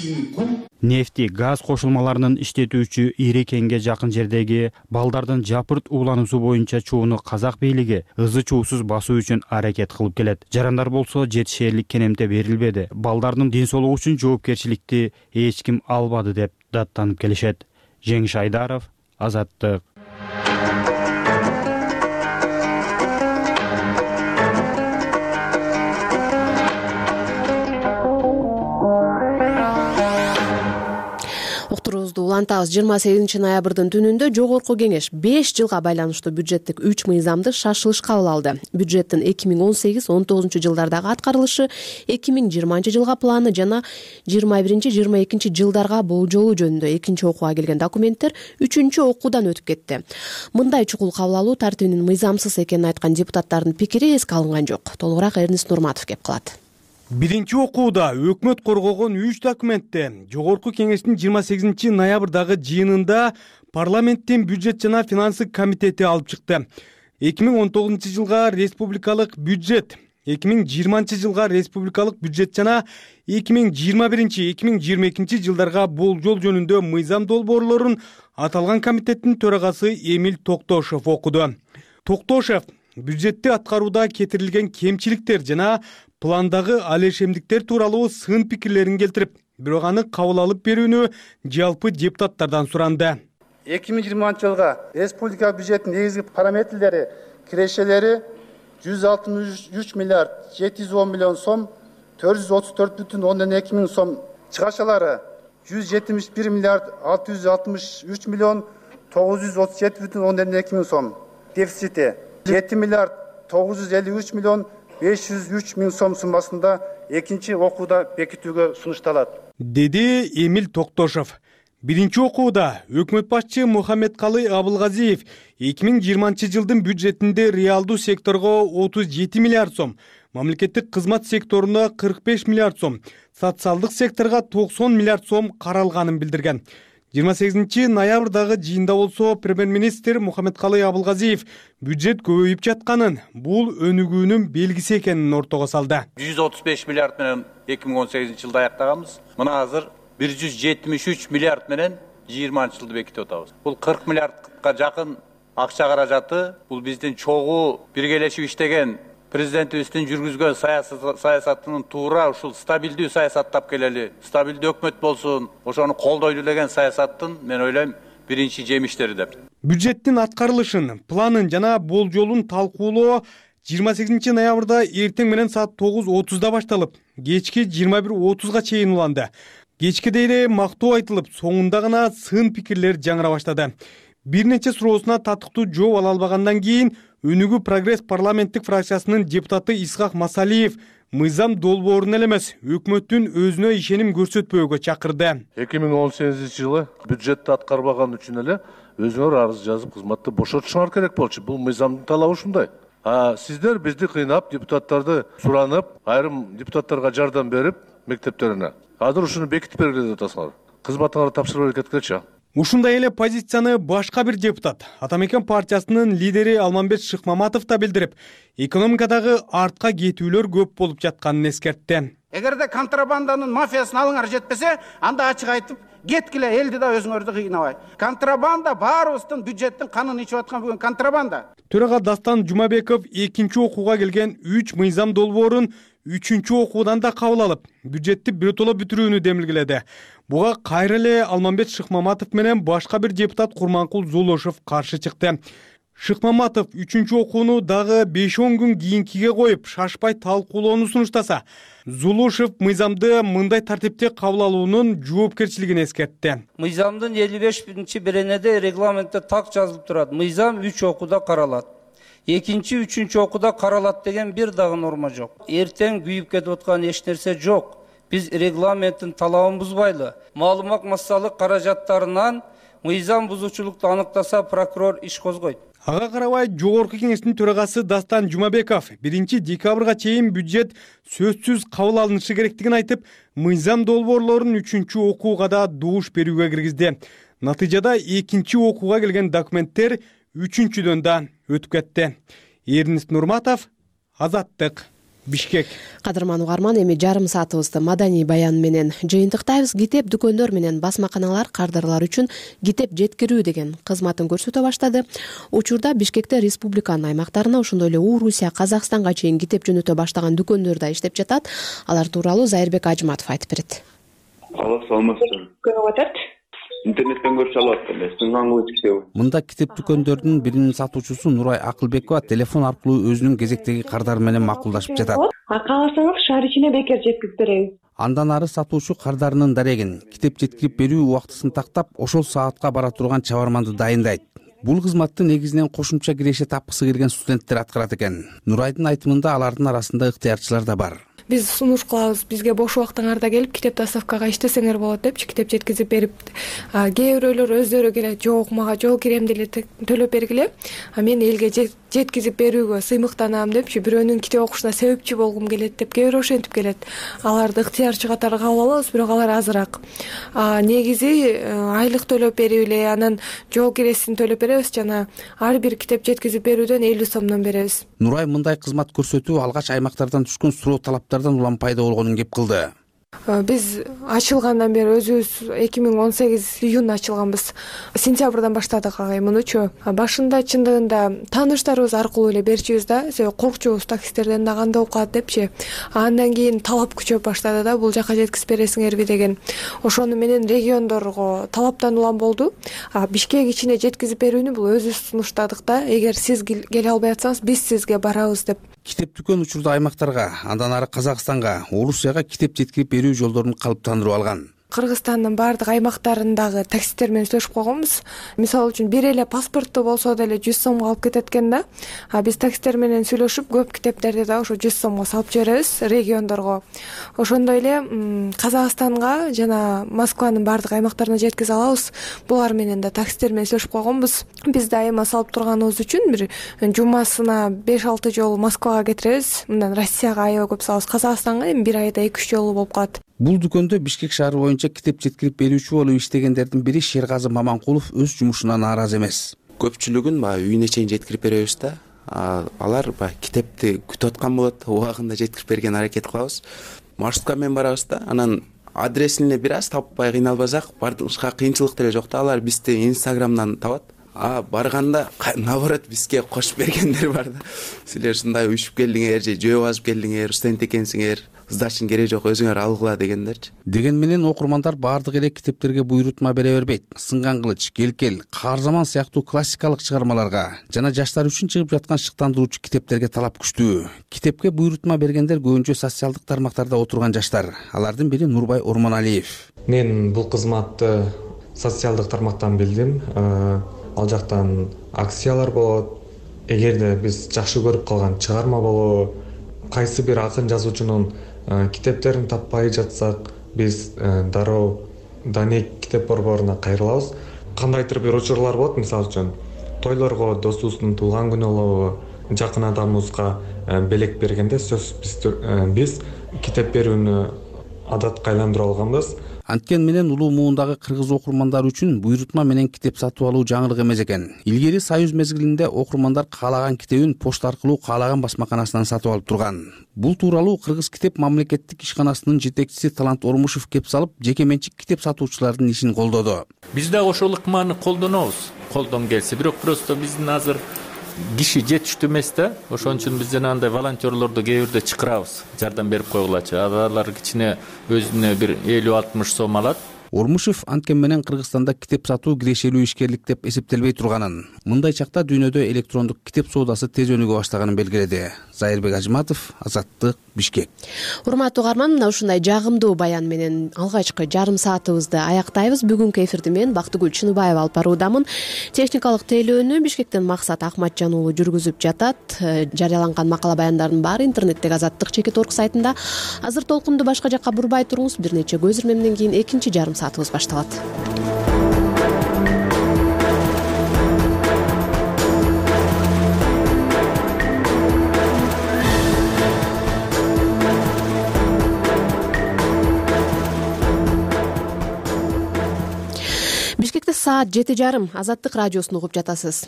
Speaker 21: Нефти, газ кошулмаларынын иштетүүчү ири кенге жакын жердеги балдардын жапырт уулануусу боюнча чууну казак бийлиги ызы чуусуз басуу үчүн аракет кылып келет. Жарандар болсо жетишээрлик кенемте берилбеди. Балдардын ден соолугу үчүн жоопкерчиликти эч ким албады деп даттанып келишет. Жеңиш Айдаров, Азаттык.
Speaker 2: Уктуруубузду улантабыз. 28 ноябрдын түнүндө Жогорку Кеңеш 5 жылга байланыштуу бюджеттик 3 мыйзамды шашылыш кабыл алды. Бюджеттин 2018-19 жылдардагы аткарылышы, 2020 жылга планы жана 21-22 жылдарга болжолу жөнүндө экинчи окууга келген документтер үчүнчү окуудан өтүп кетти. Мындай чукул кабыл алуу тартибинин мыйзамсыз экенин айткан депутаттардын пикири эске алынган жок. Толугураак Эрнест Нурматов кеп калат.
Speaker 7: Биринчи окууда өкмөт коргогон 3 документте Жогорку Кеңештин 28 ноябрдагы жыйынында парламенттин бюджет жана финансы комитети алып чыкты. 2019 жылга республикалык бюджет, 2020 жылга республикалык бюджет жана 2021-2022 жылдарга болжол жөнүндө мыйзам долбоорлорун аталган комитеттин төрагасы Эмиль Токтошев окуду. Токтошев бюджетти аткарууда кетирилген кемчиликтер жана пландагы алешемдиктер тууралуу сын пикирлерин келтирип, бирок аны кабыл алып берүүнү жалпы депутаттардан суранды.
Speaker 23: 2020 жылга республика бюджеттин негизги параметрлери кирешелери 163 миллиард 710 миллион сом, 434,2 миң сом, чыгашалары 171 миллиард 663 миллион 937,2 миң сом, дефицити 7 миллиард 953 миллион 503 миң сом суммасында экинчи окууда бекитүүгө сунушталат,
Speaker 7: деди Эмиль Токтошев. Биринчи окууда өкмөт башчы Мухаммедкалый Абылгазиев 2020 жылдын бюджетинде реалдуу секторго 37 миллиард сом, мамлекеттик кызмат секторуна 45 миллиард сом, социалдык секторго 90 миллиард сом каралганын билдирген. 28 ноябрдагы жыйында болсо премьер-министр Мухаммедкалый Абылгазиев бюджет көбөйүп жатканын, бул өнүгүүнүн белгиси экенин ортого салды.
Speaker 24: 135 миллиард менен 2018 жылда аяктаганбыз. Мына азыр 173 миллиард менен 20 жылды бекитип атабыз. Бул 40 миллиардка жакын акча каражаты, бул биздин чогуу биргелешип иштеген президентибиздин жүргүзгөн саясатынын туура ушул стабилдүү саясат тап келели, стабилдүү өкмөт болсун, ошону колдойлу деген саясаттын мен ойлойм биринчи жемиштери деп.
Speaker 7: Бюджеттин аткарылышын, планын жана болжолун талкуулоо 28 ноябрда эртең менен саат 9:30 башталып, кечки 21:30 чейин уланды. Кечкиде эле мактоо айтылып, соңунда гана сын пикирлер жаңыра баштады. Бир нече суроосуна татыктуу жооп ала албагандан кийин Өнүгүү прогресс парламенттик фракциясынын депутаты Исхак Масалиев мыйзам долбоорун эле эмес, өкмөттүн өзүнө ишеним көрсөтпөөгө чакырды.
Speaker 25: 2018 жылы бюджетти аткарбаган үчүн эле өзүңөр арыз жазып кызматты бошотушуңар керек болчу. Бул мыйзамдын талабы ушундай. Сиздер бизди кыйнап, депутаттарды суранып, айрым депутаттарга жардам берип мектептерине. Азыр ушуну бекитип бергиле деп атасыңар. Кызматыңарды тапшырып кеткилечи.
Speaker 7: Ушундай эле позицияны башка бир депутат, Атамекен партиясынын лидери Алмамбет Шыкмаматов да билдирип, экономикадагы артка кетүүлөр көп болуп жатканын эскертти.
Speaker 26: Эгерде контрабанданын мафиясын алыңар жетпесе, анда ачык айтып, кеткиле, элди да өзүңөрдү кыйнабай. Контрабанда баарыбыздын бюджеттин канын ичип аткан бүгүн контрабанда.
Speaker 7: Төрага Дастан Жумабеков экинчи окууга келген 3 мыйзам долбоорун 3-окуудан да кабыл алып, бюджетти биротоло бүтүрүүнү демилгеледи. Буга кайра эле Алмамбет Шыкмаматов менен башка бир депутат Курманкул Зулушев каршы чыкты. Шыкмаматов 3-чү окууну дагы 5-10 күн кийинкиге коюп, шашпай талкуулоону сунуштаса, Зулушев мыйзамды мындай тартипте кабыл алуунун жоопкерчилигин эскертти.
Speaker 1: Мыйзамдын 55-беренеде регламентте так жазылып турат. Мыйзам 3 окууда каралат. Экинчи, 3-чү окууда каралат деген бир дагы норма жок. Эртең күйүп кетип аткан эч нерсе жок. Биз регламенттин талабын бузбайлы. Маалымат массалык каражаттарынан мыйзам бузуучулукту аныктаса, прокурор иш козгойт.
Speaker 7: Ага карабай жогорку кеңештин төрагасы Дастан Жумабеков 1-декабрга чейин бюджет сөзсүз кабыл алынышы керектигин айтып, мыйзам долбоорлорун 3-чү окууга да добуш берүүгө киргизди. Натыйжада 2-чи окууга келген документтер 3-чүдөн да өтүп кетти. Эрнис Нурматов, Азаттык, Бишкек.
Speaker 2: Кадырман угарман, эми жарым саатыбызды маданий баян менен жыйынтыктайбыз. Китеп дүкөндөр менен басмаканалар кардарлар үчүн китеп жеткирүү деген кызматын көрсөтө баштады. Учурда Бишкекте республиканын аймактарына, ошондой эле Орусия, Казакстанга чейин китеп жөнөтө баштаган дүкөндөр да иштеп жатат. Алар тууралуу Зайырбек Ажматов айтып берет.
Speaker 3: Саламатсызбы. Көрүп атат. Интернеттен көрүшө алат эле. Сынгангыл китеби.
Speaker 4: Мында китеп дүкөндөрдүн биринин сатуучусу Нурай Акылбекова телефон аркылуу өзүнүн кезектеги кардары менен макулдашып жатат.
Speaker 3: Кааласаңыз шаар ичине бекер жеткирип беребиз.
Speaker 4: Андан ары сатуучу кардарынын дарегин, китеп жеткирип берүү убактысын тактап, ошол саатка бара турган чабарманды дайындайт. Бул кызматты негизинен кошумча киреше тапкысы келген студенттер аткарат экен. Нурайдын айтымында алардын арасында ыктыярчылар да бар.
Speaker 8: Биз сунуш кылабыз, бизге бош убактыңарда келип китеп доставкага иштесеңер болот депчи, китеп жеткизип берип, кээ бирөөлөр өздөрү келет, жок мага жол киремди эле төлөп бергиле, мен элге жеткизип берүүгө сыймыктанам депчи, бирөөнүн китеп окушуна себепчи болгум келет деп кээ бирөө ошентип келет. Аларды ыктыярчы катары кабыл алабыз, бирок алар азыраак. Негизи айлык төлөп берип эле, анан жол киресин төлөп беребиз жана ар бир китеп жеткизип берүүдөн 50 сомдон беребиз.
Speaker 4: Нурай мындай кызмат көрсөтүү алгач аймактардан түшкөн суроо талаптардан улам пайда болгонун кеп кылды.
Speaker 8: Биз ачылгандан бери өзүбүз 2018 июнда ачылганбыз. Сентябрдан баштадык мунучу. Башында чындыгында тааныштарыбыз аркылуу эле берчүбүз да, себеби коркчубуз таксисттерден да кандай окуат депчи. Андан кийин талап күчөп баштады да, бул жака жеткизип бересиңерби деген. Ошону менен региондорго талаптан улам болду. Бишкек ичине жеткизип берүүнү бул өзүбүз сунуштадык да, эгер сиз келе албай атсаңыз, биз сизге барабыз деп.
Speaker 4: Китеп дүкөн учурда аймактарга, андан ары Казакстанга, Орусияга китеп жеткирип берүү жолдорун калыптандырып алган.
Speaker 8: Кыргызстандын баардык аймактарындагы таксисттер менен сүйлөшүп койгонбуз. Мисалы үчүн бир эле паспортту болсо деле 100 сомго алып кетет экен да. Биз таксисттер менен сүйлөшүп көп китептерди да ошо 100 сомго салып жиберебиз региондорго. Ошондой эле Казакстанга жана Москванын баардык аймактарына жеткизе алабыз. Булар менен да таксисттер менен сүйлөшүп койгонбуз. Биз дайыма салып турганыбыз үчүн бир жумасына 5-6 жолу Москвага кетиребиз. Мындан Россияга аябай көп салабыз. Казакстанга эми бир айда 2-3 жолу болуп калат.
Speaker 4: Бул дүкөндө Бишкек шаары боюнча китеп жеткирип берүүчү болуп иштегендердин бири Шергазы Маманкулов өз жумушуна нааразы эмес.
Speaker 9: Көпчүлүгүн үйүнө чейин жеткирип беребиз да. Алар китепти күтүп аткан болот, убагында жеткирип берген аракет кылабыз. Маршрутка менен барабыз да, анан адресин эле бир аз таппай кыйналбасак, башка кыйынчылык деле жок да. Алар бизди Инстаграмдан табат. Барганда наоборот бизге кошуп бергендер бар да. Силер ушундай уюшуп келдиңер же жөө басып келдиңер, студент экенсиңер, сдаштын кереги жок, өзүңөр алгыла дегендерчи.
Speaker 4: Деген менен окурмандар баардык эле китептерге буйрутма бере бербейт. Сынган кылыч, Келкел, Каарзаман сыяктуу классикалык чыгармаларга жана жаштар үчүн чыгып жаткан шыктандыруучу китептерге талап күчтүү. Китепке буйрутма бергендер көбүнчө социалдык тармактарда отурган жаштар. Алардын бири Нурбай Ормоналиев.
Speaker 10: Мен бул кызматты социалдык тармактан билдим. Ал жактан акциялар болот. Эгерде биз жакшы көрүп калган чыгарма болобу, кайсы бир акын жазуучунун китептерин таппай жатсак, биз дароо Данек китеп борборуна кайрылабыз. Кандайдыр бир учурлар болот, мисалы үчүн тойлорго достубуздун туулган күнү болобу, жакын адамыбызга белек бергенде сөз биз китеп берүүнү адатка айландырып алганбыз.
Speaker 4: Анткен менен улуу муундагы кыргыз окурмандар үчүн буйрутма менен китеп сатып алуу жаңылык эмес экен. Илгери Союз мезгилинде окурмандар каалаган китебин почта аркылуу каалаган басмаканасынан сатып алып турган. Бул тууралуу Кыргыз китеп мамлекеттик ишканасынын жетекчиси Талант Ормушев кеп салып, жеке менчик китеп сатуучулардын ишин колдоду.
Speaker 27: Биз да ошол ыкманы колдонобуз. Колдон келсе, бирок просто биздин азыр киши жетиштүү эмес да. Ошон үчүн биз жана андай волонтерлорду кээ бирде чакырабыз, жардам берип койгулачы. Алар кичине өзүнө бир 50-60 сом алат.
Speaker 4: Ормушев анткени менен Кыргызстанда китеп сатуу кирешелүү ишкерлик деп эсептелбей турганын, мындай чакта дүйнөдө электрондук китеп соодасы тез өнүгө баштаганын белгиледи. Зайырбек Ажматов, Азаттык, Бишкек.
Speaker 2: Урматтуу угарман, мына ушундай жагымдуу баян менен алгачкы жарым саатыбызды аяктайбыз. Бүгүнкү эфирди мен Бактыгүл Чыныбаева алып баруудамын. Техникалык тейлөөнү Бишкектен Максат Акматжан уулу жүргүзүп жатат. Жарыяланган макала баяндардын баары интернеттеги Азаттык.org сайтында. Азыр толкунду башка жакка бурбай туруңуз. Бир нече көз ирмемден кийин экинчи жарым саатыбыз башталат. Бишкекте саат 7:30. Азаттык радиосун угуп жатасыз.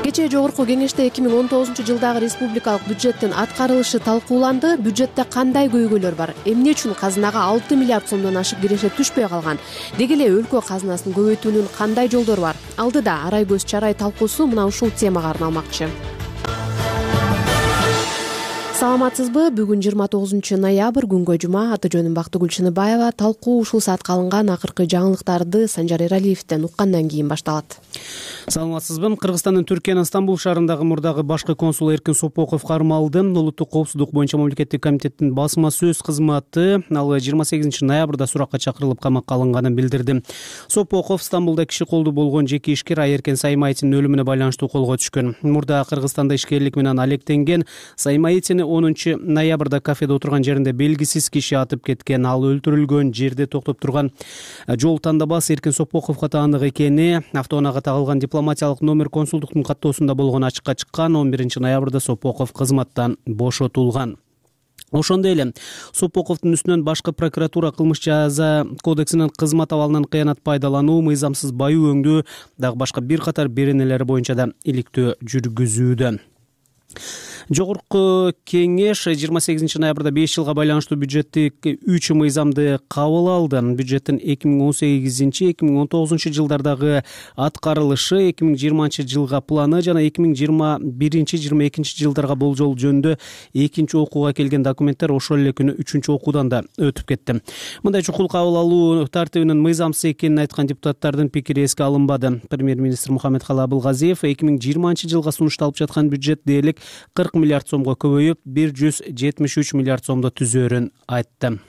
Speaker 2: Кечээ жогорку кеңеште 2019 жылдагы республикалык бюджеттин аткарылышы талкууланды. Бюджетте кандай көйгөйлөр бар? Эмне үчүн казынага 6 миллиард сомдон ашык киреше түшпөй калган? Деги эле өлкө казынасын көбөйтүүнүн кандай жолдору бар? Алдыда арай көз чарай талкуусу мына ушул темага арналмакчы. Саламатсызбы? Бүгүн 29 ноябрь, күнгө жума. Аты жөнүм Бактыгүл Чыныбаева. Талкуу ушул саатка алынган акыркы жаңылыктарды Санжар Эралиевден уккандан кийин башталат.
Speaker 6: Саламатсызбы? Кыргызстандын Түркиянын Стамбул шаарындагы мурдагы башкы консулу Эркин Сопоков кармалды. Улуттук коопсуздук боюнча мамлекеттик комитеттин басма сөз кызматы ал 28 ноябрда суракка чакырылып камакка алынганын билдирди. Сопоков Стамбулда киши колдуу болгон жеке ишкер Айеркен Саймаитинин өлүмүнө байланыштуу колго түшкөн. Мурда Кыргызстанда ишкерлик менен алектенген Саймаитини 10 ноябрда кафеде отурган жеринде белгисиз киши атып кеткен. Ал өлтүрүлгөн жерде токтоп турган жол тандабас Эркин Сопоковго таандык экени автоунаага тагылган дипломатиялык номер консулдуктун каттоосунда болгону ачыкка чыккан. 11 ноябрда Сопоков кызматтан бошотулган. Ошондой эле Сопоковдун үстүнөн башкы прокуратура кылмыш жаза кодексинин кызмат абалынан кыянат пайдалануу, мыйзамсыз баю өңдүү дагы башка бир катар беренелери боюнча да иликтөө жүргүзүүдө. Жогорку кеңеш 28 ноябрда 5 жылга байланыштуу бюджеттик 3 мыйзамды кабыл алды. Бюджеттин 2018-2019 жылдардагы аткарылышы, 2020 жылга планы жана 2021-2022 жылдарга болжол жөнүндө экинчи окууга келген документтер ошол эле күнү 3-чү окуудан да өтүп кетти. Мындай чукул кабыл алуу тартибинин мыйзамсыз экенин айткан депутаттардын пикири эске алынбады. Премьер-министр Мухаммедкалый Абылгазиев 2020 жылга сунушталып жаткан бюджет дээрлик 40 миллиард сомго көбөйүп 173 миллиард сомдо түзөөрүн айтты.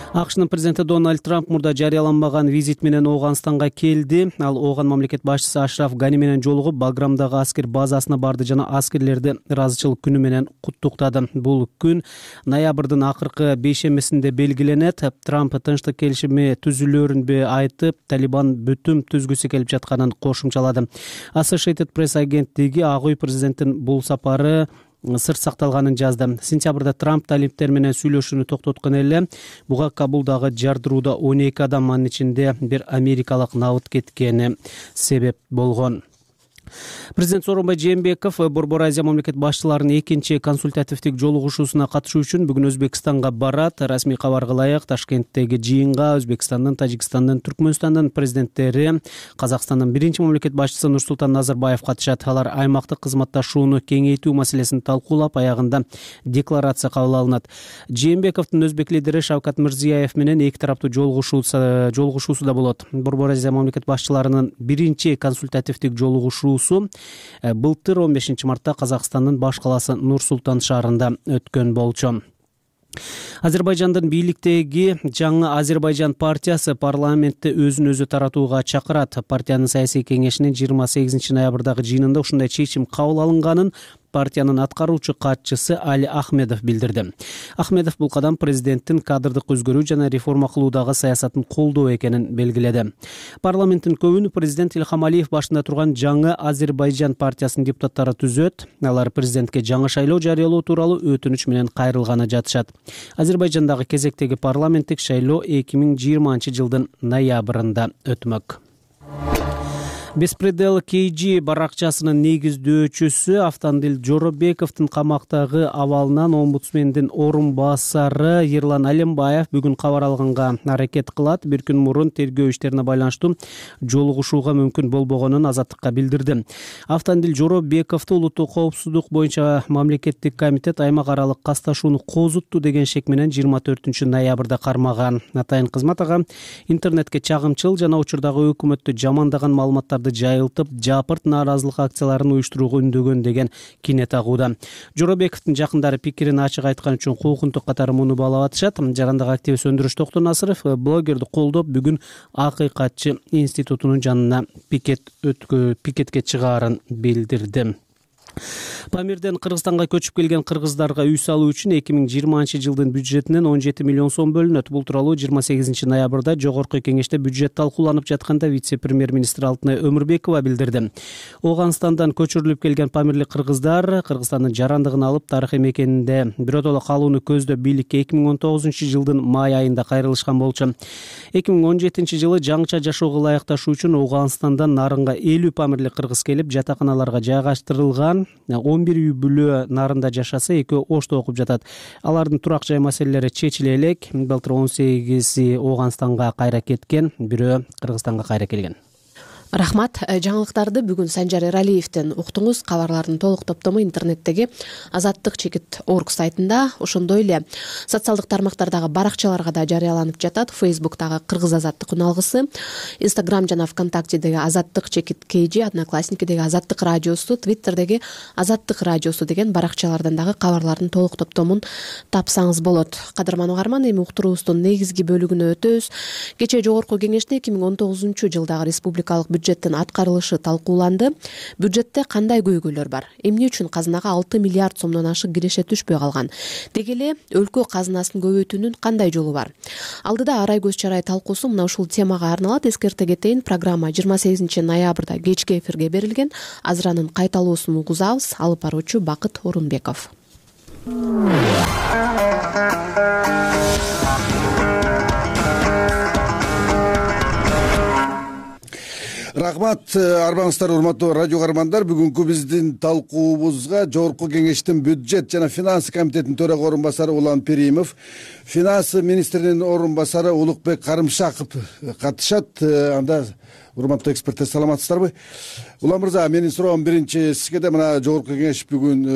Speaker 6: АКШнын президенти Дональд Трамп мурда жарыяланбаган визит менен Ооганстанга келди. Ал Ооган мамлекет башчысы Ашраф Гани менен жолугуп, Баграмдагы аскер базасына барды жана аскерлерди ыраазычылык күнү менен куттуктады. Бул күн ноябрдын акыркы бейшембисинде белгиленет. Трамп тынчтык келишими түзүлөрүн айтып, Талибан бүтүм түзгүсү келип жатканын кошумчалады. Associated Press агенттиги Ак үй президенттин бул сапары сыр сакталганын жазды. Сентябрда Трамп талиптер менен сүйлөшүүнү токтоткон эле. Буга Кабулдагы жардырууда 12 адам, анын ичинде бир америкалык набыт кеткени себеп болгон. Президент Сооронбай Жээнбеков Борбор Азия мамлекет башчыларынын экинчи консультативдик жолугушуусуна катышуу үчүн бүгүн Өзбекстанга барат. Расмий кабарга ылайык Ташкенттеги жыйынга Өзбекстандын, Тажикстандын, Түркмөнстандын президенттери, Казакстандын биринчи мамлекет башчысы Нурсултан Назарбаев катышат. Алар аймактык кызматташууну кеңейтүү маселесин талкуулап, аягында декларация кабыл алынат. Жээнбековдун өзбек лидери Шавкат Мирзиёев менен эки тараптуу жолугушуусу да болот. Борбор Азия мамлекет башчыларынын биринчи консультативдик жолугушуу былтыр 15 мартта Казакстандын баш калаасы Нур-Султан шаарында өткөн болчу. Азербайжандын бийликтеги жаңы Азербайжан партиясы парламентте өзүн өзү таратууга чакырат. Партиянын саясий кеңешинин 28 ноябрдагы жыйынында ушундай чечим кабыл алынганын партиянын аткаруучу катчысы Али Ахмедов билдирди. Ахмедов бул кадам президенттин кадрдык өзгөрүү жана реформа кылуудагы саясатын колдоо экенин белгиледи. Парламенттин көбүнү президент Илхам Алиев башында турган жаңы Азербайжан партиясынын депутаттары түзөт. Алар президентке жаңы шайлоо жарыялоо тууралуу өтүнүч менен кайрылганы жатышат. Азербайжандагы кезектеги парламенттик шайлоо 2020 жылдын ноябрында өтмөк. Беспредел KG баракчасынын негиздөөчүсү Автандил Жоробековдун камактагы абалынан омбудсмендин орун басары Ерлан Алембаев бүгүн кабар алганга аракет кылат. Бир күн мурун тергөө иштерине байланыштуу жолугушууга мүмкүн болбогонун Азаттыкка билдирди. Автандил Жоробековду улуттук коопсуздук боюнча мамлекеттик комитет аймак аралык касташууну козутту деген шек менен 24 ноябрда кармаган. Атайын кызмат ага интернетке чагымчыл жана учурдагы өкмөттү жамандаган маалыматтарды жайылтып, жапырт нааразылык акцияларын уюштурууга үндөгөн деген кине тагууда. Жоробековдун жакындары пикирин ачык айткан үчүн куугунтук катары муну баалап атышат. Жарандык активист Өндүрүш Токтонасыров блогерди колдоп, бүгүн Акыйкатчы институтунун жанына пикетке чыгаарын билдирди. Памирден Кыргызстанга көчүп келген кыргыздарга үй салуу үчүн 2020 жылдын бюджетинен 17 миллион сом бөлүнөт. Бул тууралуу 28 ноябрда Жогорку Кеңеште бюджет талкууланып жатканда вице-премьер-министр Алтынай Өмүрбекова билдирди. Оганстандан көчүрүлүп келген памирлик кыргыздар Кыргызстандын жарандыгын алып, тарыхый мекенинде биротоло калууну көздөп бийликке 2019 жылдын май айында кайрылышкан болчу. 2017 жылы жаңыча жашоого ылайыкташуу үчүн Оганстандан Нарынга 50 памирлик кыргыз келип, жатаканаларга жайгаштырылган. 11 үй бүлө Нарында жашаса, 2 Ошто окуп жатат. Алардын турак жай маселелери чечиле элек. Былтыр 18 Оганстанга кайра кеткен, бирөө Кыргызстанга кайра келген. Рахмат. Жаңылыктарды бүгүн Санжар Эралиевден уктуңуз. Кабарлардын толук топтому интернеттеги azattik.org сайтында, ошондой эле социалдык тармактардагы баракчаларга да жарыяланып жатат. Facebook'тагы Кыргыз Азаттык уналгысы, Instagram жана ВКонтактедеги azattik.kg, Одноклассникидеги Азаттык радиосу, Twitter'деги Азаттык радиосу деген баракчалардан дагы кабарлардын толук топтомун тапсаңыз болот. Кадырман угарман, эми уктуруубуздун негизги бөлүгүнө өтөбүз. Кечээ Жогорку Кеңеште 2019 жылдагы республикалык бюджеттин аткарылышы талкууланды. Бюджетте кандай көйгөйлөр бар? Эмне үчүн казынага 6 миллиард сомдон ашык киреше түшпөй калган? Деги эле өлкө казынасын көбөйтүүнүн кандай жолу бар? Алдыда арай көз чарай талкуусу мына ушул темага арналат. Эскерте кетейин, программа 28 ноябрда кечки эфирге берилген. Азыр анын кайталуусун угузабыз. Алып баруучу Бакыт Орунбеков.
Speaker 11: Рахмат, арбаңыздар, урматтуу радио каармандар. Бүгүнкү биздин талкуубузга Жогорку Кеңештин бюджет жана финансы комитетинин төрага орун басары Улан Перимов, финансы министринин орун басары Улукбек Карымшаков катышат. Анда урматтуу эксперттер, саламатсыздарбы? Улан мырза, менин суроом биринчи сизге да. Мына Жогорку Кеңеш бүгүн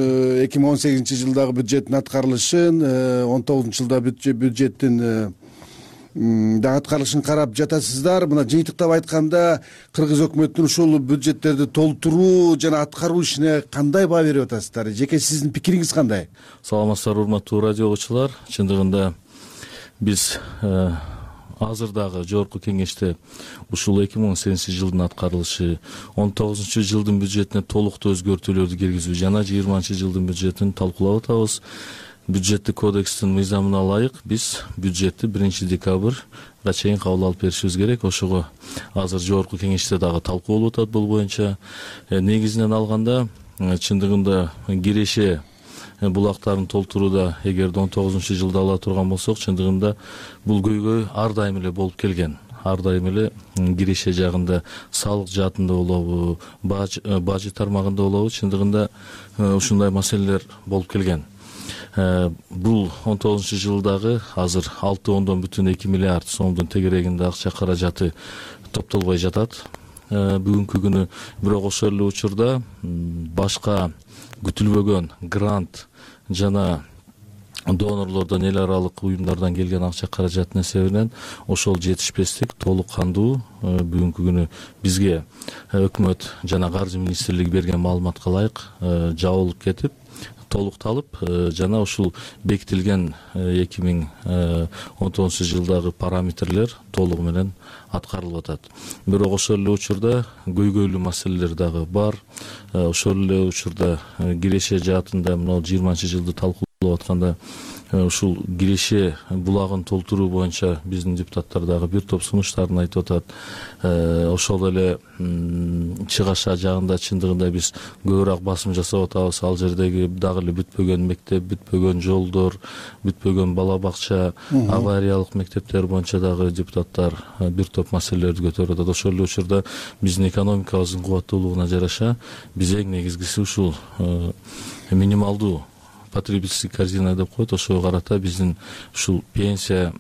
Speaker 11: 2018 жылдагы бюджеттин аткарылышын, 19 жылда бюджеттин да аткарылышын карап жатасыздар. Мына жыйынтыктап айтканда, кыргыз өкмөтүнүн ушул бюджеттерди толтуруу жана аткаруу ишине кандай баа берип атасыздар? Жеке сиздин пикириңиз кандай?
Speaker 12: Саламатсыздар, урматтуу радио угуучулар. Чындыгында биз азыр дагы Жогорку Кеңеште ушул 2018 жылдын аткарылышы, 19 жылдын бюджетине толуктуу өзгөртүүлөрдү киргизүү жана 20 жылдын бюджетин талкуулап атабыз. Бюджеттик кодекстин мыйзамына ылайык биз бюджетти 1 декабрга чейин кабыл алып беришибиз керек. Ошого азыр Жогорку Кеңеште дагы талкуу болуп атат бул боюнча. Негизинен алганда, чындыгында киреше булактарын толтурууда эгерде 19 жылда ала турган болсок, чындыгында бул көйгөй ар дайым эле болуп келген. Ар дайым эле киреше жагында, салык жаатында болобу, бажы тармагында болобу, чындыгында ушундай маселелер болуп келген. Бул 19 жылдагы азыр 6,2 миллиард сомдун тегерегинде акча каражаты топтолбой жатат бүгүнкү күнү. Бирок ошол эле учурда башка күтүлбөгөн грант жана донорлордон, эл аралык уюмдардан келген акча каражаттын эсебинен ошол жетишпестик толук кандуу бүгүнкү күнү бизге өкмөт жана каржы министрлиги берген маалыматка ылайык жабылып кетип, толукталып, жана ушул бекитилген 2019 жылдагы параметрлер толугу менен аткарылып атат. Бирок ошол эле учурда көйгөйлүү маселелер дагы бар. Ошол эле учурда киреше жаатында мына 20 жылды талкуулап атканда ушул киреше булагын толтуруу боюнча биздин депутаттар дагы бир топ сунуштарын айтып атат. Ошол эле Чыгаша жагында чындыгында биз көбүрөөк басым жасап атабыз. Ал жердеги дагы эле бүтпөгөн мектеп, бүтпөгөн жолдор, бүтпөгөн бала бакча, авариялык мектептер боюнча дагы депутаттар бир топ маселелерди көтөрүп атат. Ошол эле учурда биздин экономикабыздын кубаттуулугуна жараша биз эң негизгиси ушул минималдуу потребительский корзина деп коет. Ошого карата биздин ушул пенсия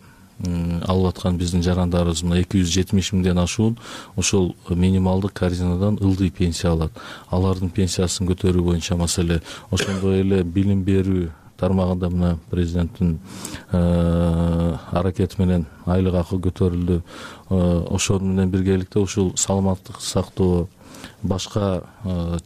Speaker 12: алып аткан биздин жарандарыбыз мына 270 миңден ашуун ошол минималдык корзинадан ылдый пенсия алат. Алардын пенсиясын көтөрүү боюнча маселе. Ошондой эле билим берүү тармагында мына президенттин аракети менен айлык акы көтөрүлдү. Ошол менен биргеликте ушул саламаттык сактоо, башка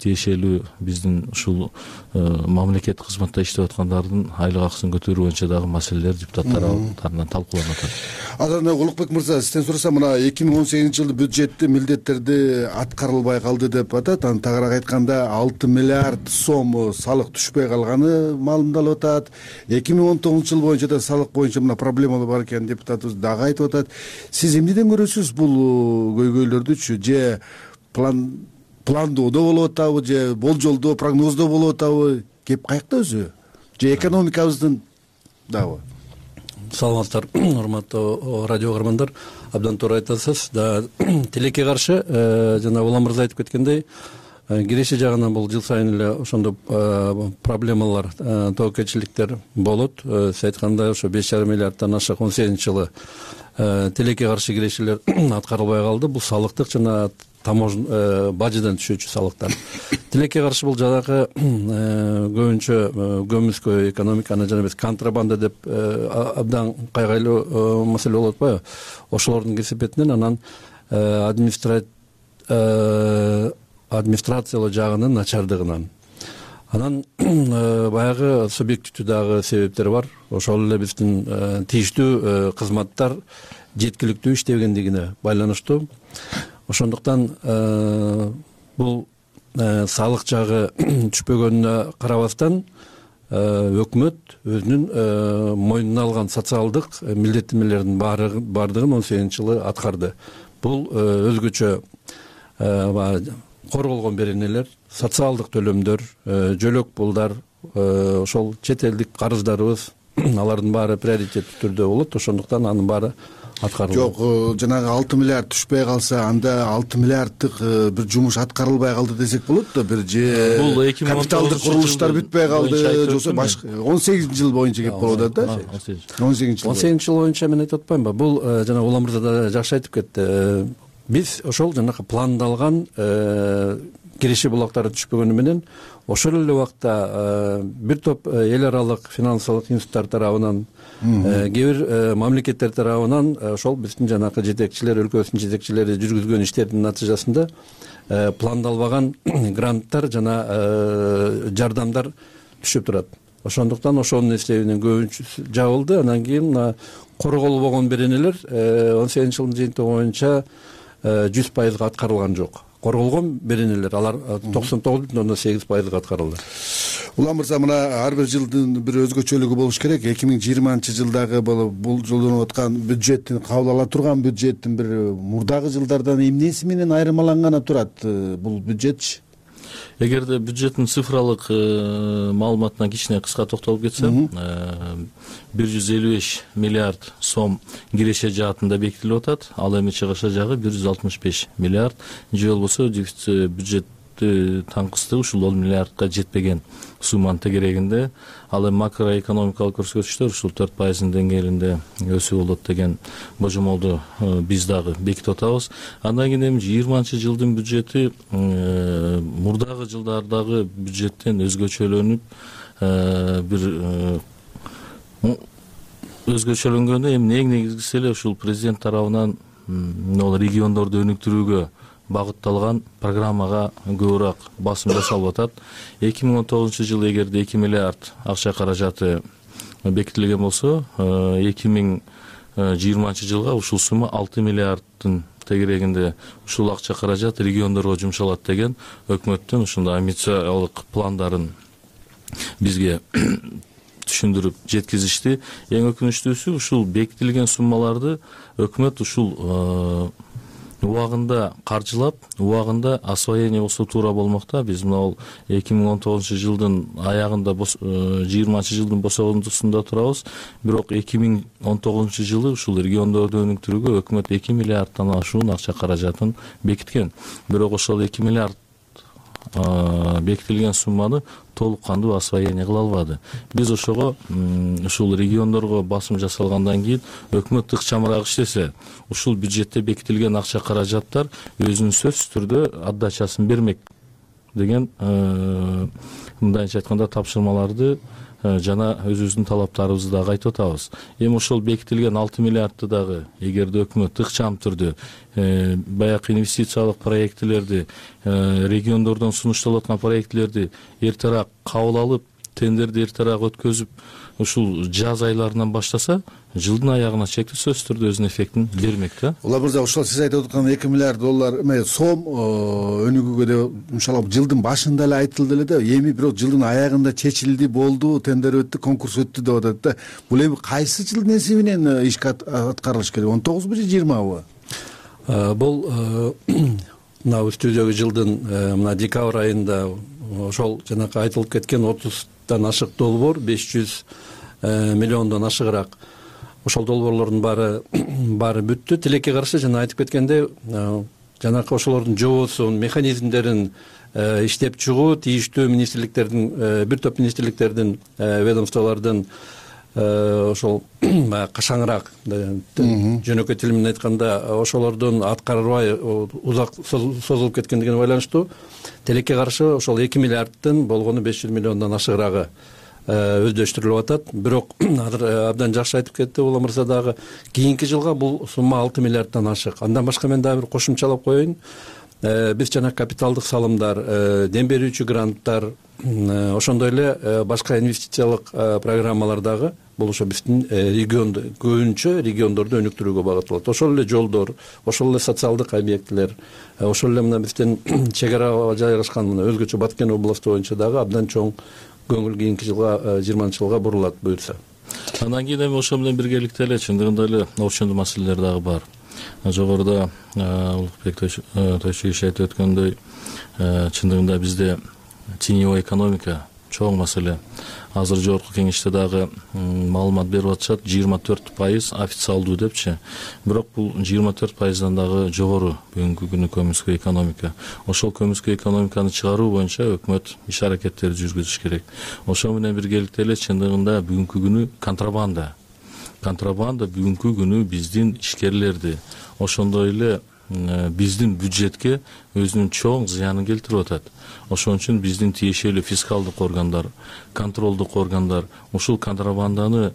Speaker 12: тиешелүү биздин ушул мамлекеттик кызматта иштеп аткандардын айлык акысын көтөрүү боюнча дагы маселелер депутаттар тарабынан талкууланып атат.
Speaker 11: Анан Улукбек мырза, сизден сурасам, мына 2018 жылы бюджетти милдеттерди аткарылбай калды деп атат. Анан тагыраак айтканда 6 миллиард сом салык түшпөй калганы маалымдалып атат. 2019 жыл боюнча да салык боюнча мына проблемалар бар экен депутатыбыз дагы айтып атат. Сиз эмнеден көрөсүз бул көйгөйлөрдүчү? Же пландоодо болуп атабы, же болжолдоо, прогноздоо болуп атабы? Кеп каякта өзү? Же экономикабыздын дагы?
Speaker 13: Саламаттар, урматтуу радио каармандар, абдан туура айтасыз. Тилекке каршы жана Улам мырза айтып кеткендей, киреше жагынан бул жыл сайын эле ошондой проблемалар, тобокелчиликтер болот. Сиз айткандай ошо 5,5 миллиарддан ашык 18 жылы тилекке каршы кирешелер аткарылбай калды. Бул салыктык жана бажыдан түшүүчү салыктар. Тилекке каршы бул жанагы көбүнчө көмүскө экономиканы жана контрабанда деп абдан кайгайлуу маселе болуп атпайбы? Ошолордун кесепетинен анан администрациялоо жагынын начардыгынан. Анан баягы субъективдүү дагы себептер бар. Ошол эле биздин тийиштүү кызматтар жеткиликтүү иштебегендигине байланыштуу. Ошондуктан бул салык жагы түшпөгөнүнө карабастан өкмөт өзүнүн мойнуна алган социалдык милдеттенмелердин баардыгын 18 жылы аткарды. Бул өзгөчө корголгон беренелер, социалдык төлөмдөр, жөлөк пулдар, ошол чет элдик карыздарыбыз, алардын баары приоритеттүү түрдө болот. Ошондуктан анын баары аткарылды.
Speaker 11: Жок, жанагы 6 миллиард түшпөй калса, анда 6 миллиарддык бир жумуш аткарылбай калды десек болот да, бир же капиталдык курулуштар бүтпөй калды, жоксо башка 18 жыл боюнча кеп болуп атат да.
Speaker 13: 18 жыл боюнча мен айтып атпаймынбы? Бул жана Улам мырза да жакшы айтып кетти. Биз ошол жанагы пландалган киреше булактары түшпөгөнү менен ошол эле убакта бир топ эл аралык финансылык институттар тарабынан, кээ бир мамлекеттер тарабынан ошол биздин жанагы жетекчилер, өлкөбүздүн жетекчилери жүргүзгөн иштердин натыйжасында пландалбаган гранттар жана жардамдар түшүп турат. Ошондуктан ошонун эсебинен көбүнчөсү жабылды. Анан кийин мына корголбогон беренелер 18 жылдын жыйынтыгы боюнча 100% аткарылган жок. Корголгон беренелер алар 99,8% аткарылды.
Speaker 11: Улам мырза, мына ар бир жылдын бир өзгөчөлүгү болуш керек. 2020 жылдагы бул жолдонуп аткан бюджеттин, кабыл ала турган бюджеттин бир мурдагы жылдардан эмнеси менен айырмаланганы турат бул бюджетчи?
Speaker 12: Эгерде бюджеттин цифралык маалыматына кичине кыска токтолуп кетсем, 155 миллиард сом киреше жаатында бекитилип атат. Ал эми чыгыша жагы 165 миллиард. Же болбосо бюджетти таңкыстыгы ушул 10 миллиардка жетпеген сумманын тегерегинде. Ал эми макроэкономикалык көрсөткүчтөр ушул 4% деңгээлинде өсүү болот деген божомолду биз дагы бекитип атабыз. Андан кийин эми 20 жылдын бюджети мурдагы жылдардагы бюджеттен өзгөчөлөнүп, бир өзгөчөлөнгөндө эми эң негизгиси эле ушул президент тарабынан региондорду өнүктүрүүгө багытталган программага көбүрөөк басым жасалып атат. 2019 жылы эгерде 2 миллиард акча каражаты бекитилген болсо, 2020 жылга ушул сумма 6 миллиарддын тегерегинде ушул акча каражат региондорго жумшалат деген өкмөттүн ушундай амбициялык пландарын бизге түшүндүрүп жеткизишти. Эң өкүнүчтүүсү ушул бекитилген суммаларды өкмөт ушул убагында каржылап, убагында освоение болсо туура болмок да. Биз мына 2019 аягында 20 босогондусунда турабыз. Бирок 2019 жылы ушул региондорду өнүктүрүүгө өкмөт 2 миллиарддан ашуун акча каражатын бекиткен. Бирок ошол 2 миллиард бекитилген сумманы толук кандуу освоение кыла албады. Биз ошого ушул региондорго басым жасалгандан кийин өкмөт ыкчамыраак иштесе, ушул бюджетте бекитилген акча каражаттар өзүнүн сөзсүз түрдө отдачасын бермек деген мындайча айтканда тапшырмаларды жана өзүбүздүн талаптарыбызды дагы айтып атабыз. Эми ошол бекитилген 6 миллиардты дагы эгерде өкмөт ыкчам түрдө баягы инвестициялык проектилерди, региондордон сунушталып аткан проектилерди эртерээк кабыл алып, тендерди эртерээк өткөзүп, ушул жаз айларынан баштаса, жылдын аягына чекти сөзсүз түрдө өзүнүн эффектин бермек да.
Speaker 11: Улан мырза, ошол сиз айтып аткан 2 миллиард доллар сом өнүгүүгө деп иншалла жылдын башында эле айтылды эле да, эми бирок жылдын аягында чечилди, болду, тендер өттү, конкурс өттү деп атат да. Бул эми кайсы жылдын эсебинен ишке аткарылыш керек? 19бу же 20бы?
Speaker 13: Бул мына үстүдөгү жылдын мына декабрь айында ошол жанакы айтылып кеткен 30 ашык долбоор 500 миллиондон ашыгыраак ошол долбоорлордун баары бүттү. Тилекке каршы жана айтып кеткендей, жанакы ошолордун жобосун, механизмдерин иштеп чыгуу тийиштүү министрликтердин, бир топ министрликтердин, ведомстволордун ошол кашаңыраак, жөнөкөй тил менен айтканда, ошолордун аткарылбай узак созулуп кеткендигине байланыштуу тилекке каршы ошол 2 миллиардтын болгону 500 миллиондон ашыгыраагы өздөштүрүлүп атат. Бирок азыр абдан жакшы айтып кетти Улан мырза дагы, кийинки жылга бул сумма 6 миллиарддан ашык. Андан башка мен дагы бир кошумчалап коеюн. Биз жана капиталдык салымдар, дем берүүчү гранттар, ошондой эле башка инвестициялык программалар дагы бул ошо биздин регионду, көбүнчө региондорду өнүктүрүүгө багытталат. Ошол эле жолдор, ошол эле социалдык объектилер, ошол эле мына биздин чек арага жайгашкан мына өзгөчө Баткен областы боюнча дагы абдан чоң көңүл кийинки жылга, 20-жылга бурулат буюрса.
Speaker 12: Андан кийин эми ошол менен биргеликте эле чындыгында эле орчундуу маселелер дагы бар. Жогоруда Улукбек Тойшуевич айтып өткөндөй, чындыгында бизде теневой экономика чоң маселе. Азыр жогорку кеңеште дагы маалымат берип атышат, 24% официалдуу депчи. Бирок бул 24%дан дагы жогору бүгүнкү күнү көмүскө экономика. Ошол көмүскө экономиканы чыгаруу боюнча өкмөт иш аракеттерди жүргүзүш керек. Ошол менен биргеликте эле чындыгында бүгүнкү күнү контрабанда бүгүнкү күнү биздин ишкерлерди, ошондой эле биздин бюджетке өзүнүн чоң зыянын келтирип атат. Ошон үчүн биздин тиешелүү фискалдык органдар, контролдук органдар ушул контрабанданы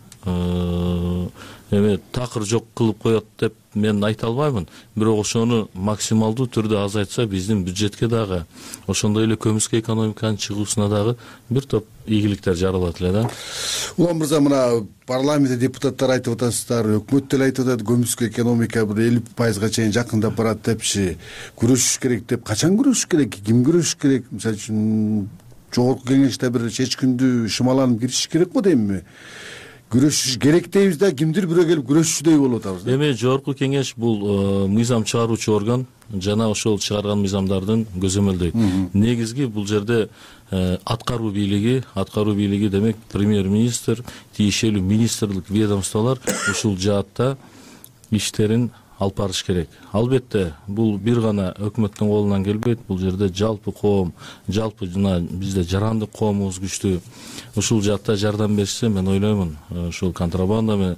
Speaker 12: эми такыр жок кылып коет деп мен айта албаймын. Бирок ошону максималдуу түрдө азайтса биздин бюджетке дагы, ошондой эле көмүскө экономиканын чыгуусуна дагы бир топ ийгиликтер жаралат эле да.
Speaker 11: Улан мырза, мына парламентте депутаттар айтып атасыздар, өкмөт деле айтып атат, көмүскө экономика бир 50%га чейин жакындап барат депчи. Күрөшүш керек деп, качан күрөшүш керек, ким күрөшүш керек? Мисалы үчүн жогорку кеңеште бир чечкиндүү шымаланып киришиш керекпи деймби? Күрөшүш керек дейбиз да, кимдир бирөө келип күрөшчүдөй болуп атабыз.
Speaker 12: Эми жогорку кеңеш бул мыйзам чыгаруучу орган жана ошол чыгарган мыйзамдардын көзөмөлдөйт. Негизги бул жерде аткаруу бийлиги демек премьер-министр, тиешелүү министрлик, ведомстволор ушул жаатта иштерин алып барыш керек. Албетте бул бир гана өкмөттүн колунан келбейт. Бул жерде жалпы коом, жалпы жана бизде жарандык коомубуз күчтүү. Ушул жаатта жардам берсе, мен ойлоймун, ушул контрабанданы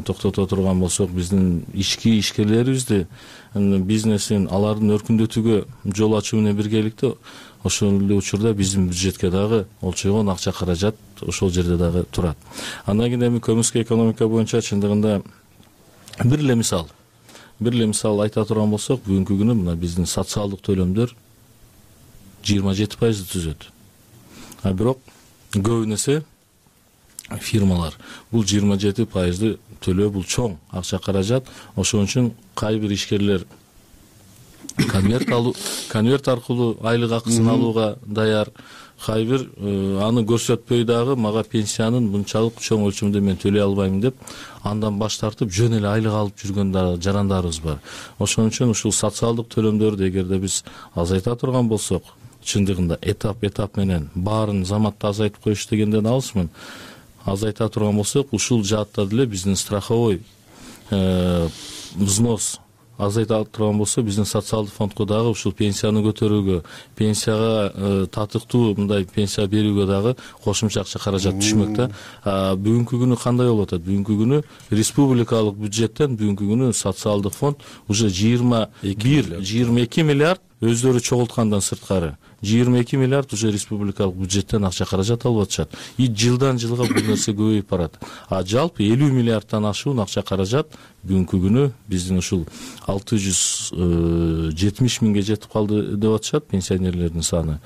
Speaker 12: токтото турган болсок, биздин ишкерлерибизди, бизнесин, алардын өркүндөтүүгө жол ачуу менен биргеликте ошол эле учурда биздин бюджетке дагы олчойгон акча каражат ошол жерде дагы турат. Андан кийин эми көмүскө экономика боюнча чындыгында бир эле мисал айта турган болсок, бүгүнкү күнү мына биздин социалдык төлөмдөр 27% түзөт. Бирок көбүнесе фирмалар бул 27% төлөө, бул чоң акча каражат. Ошон үчүн кайбир ишкерлер конверт аркылуу айлык акысын алууга даяр. Кай бир аны көрсөтпөй дагы мага пенсиянын мынчалык чоң өлчөмдө мен төлөй албайм деп андан баш тартып жөн эле айлык алып жүргөн дагы жарандарыбыз бар. Ошон үчүн ушул социалдык төлөмдөрдү эгерде биз азайта турган болсок, чындыгында этап менен баарын заматта азайтып коюш дегенден алысмын. Азайта турган болсок, ушул жаатта деле биздин страховой взнос азайта турган болсо, биздин социалдык фондко дагы ушул пенсияны көтөрүүгө, пенсияга татыктуу мындай пенсия берүүгө дагы кошумча акча каражат түшмөк да. Бүгүнкү күнү кандай болуп атат? Бүгүнкү күнү республикалык бюджеттен бүгүнкү күнү социалдык фонд уже 21-22 миллиард өздөрү чогулткандан сырткары 22 миллиард уже республикалык бюджеттен акча каражат алып атышат. И жылдан жылга бул нерсе көбөйүп барат. Жалпы 50 миллиардтан ашуун акча каражат бүгүнкү күнү биздин ушул 670 миңге жетип калды деп атышат пенсионерлердин саны.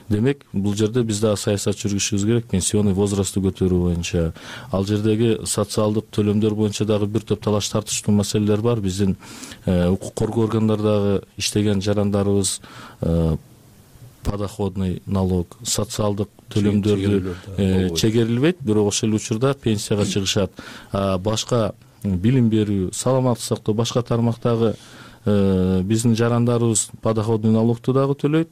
Speaker 12: Демек, бул жерде биз дагы саясат жүргүзүшүбүз керек, пенсионный возрастты көтөрүү боюнча. Ал жердеги социалдык төлөмдөр боюнча дагы бир топ талаш тартыштуу маселелер бар. Биздин укук коргоо органдарындагы иштеген жарандарыбыз подоходный налог, социалдык төлөмдөрдү чегерилбейт, бирок ошол учурда пенсияга чыгышат. Башка билим берүү, саламаттык сактоо, башка тармактагы биздин жарандарыбыз подоходный налогду дагы төлөйт,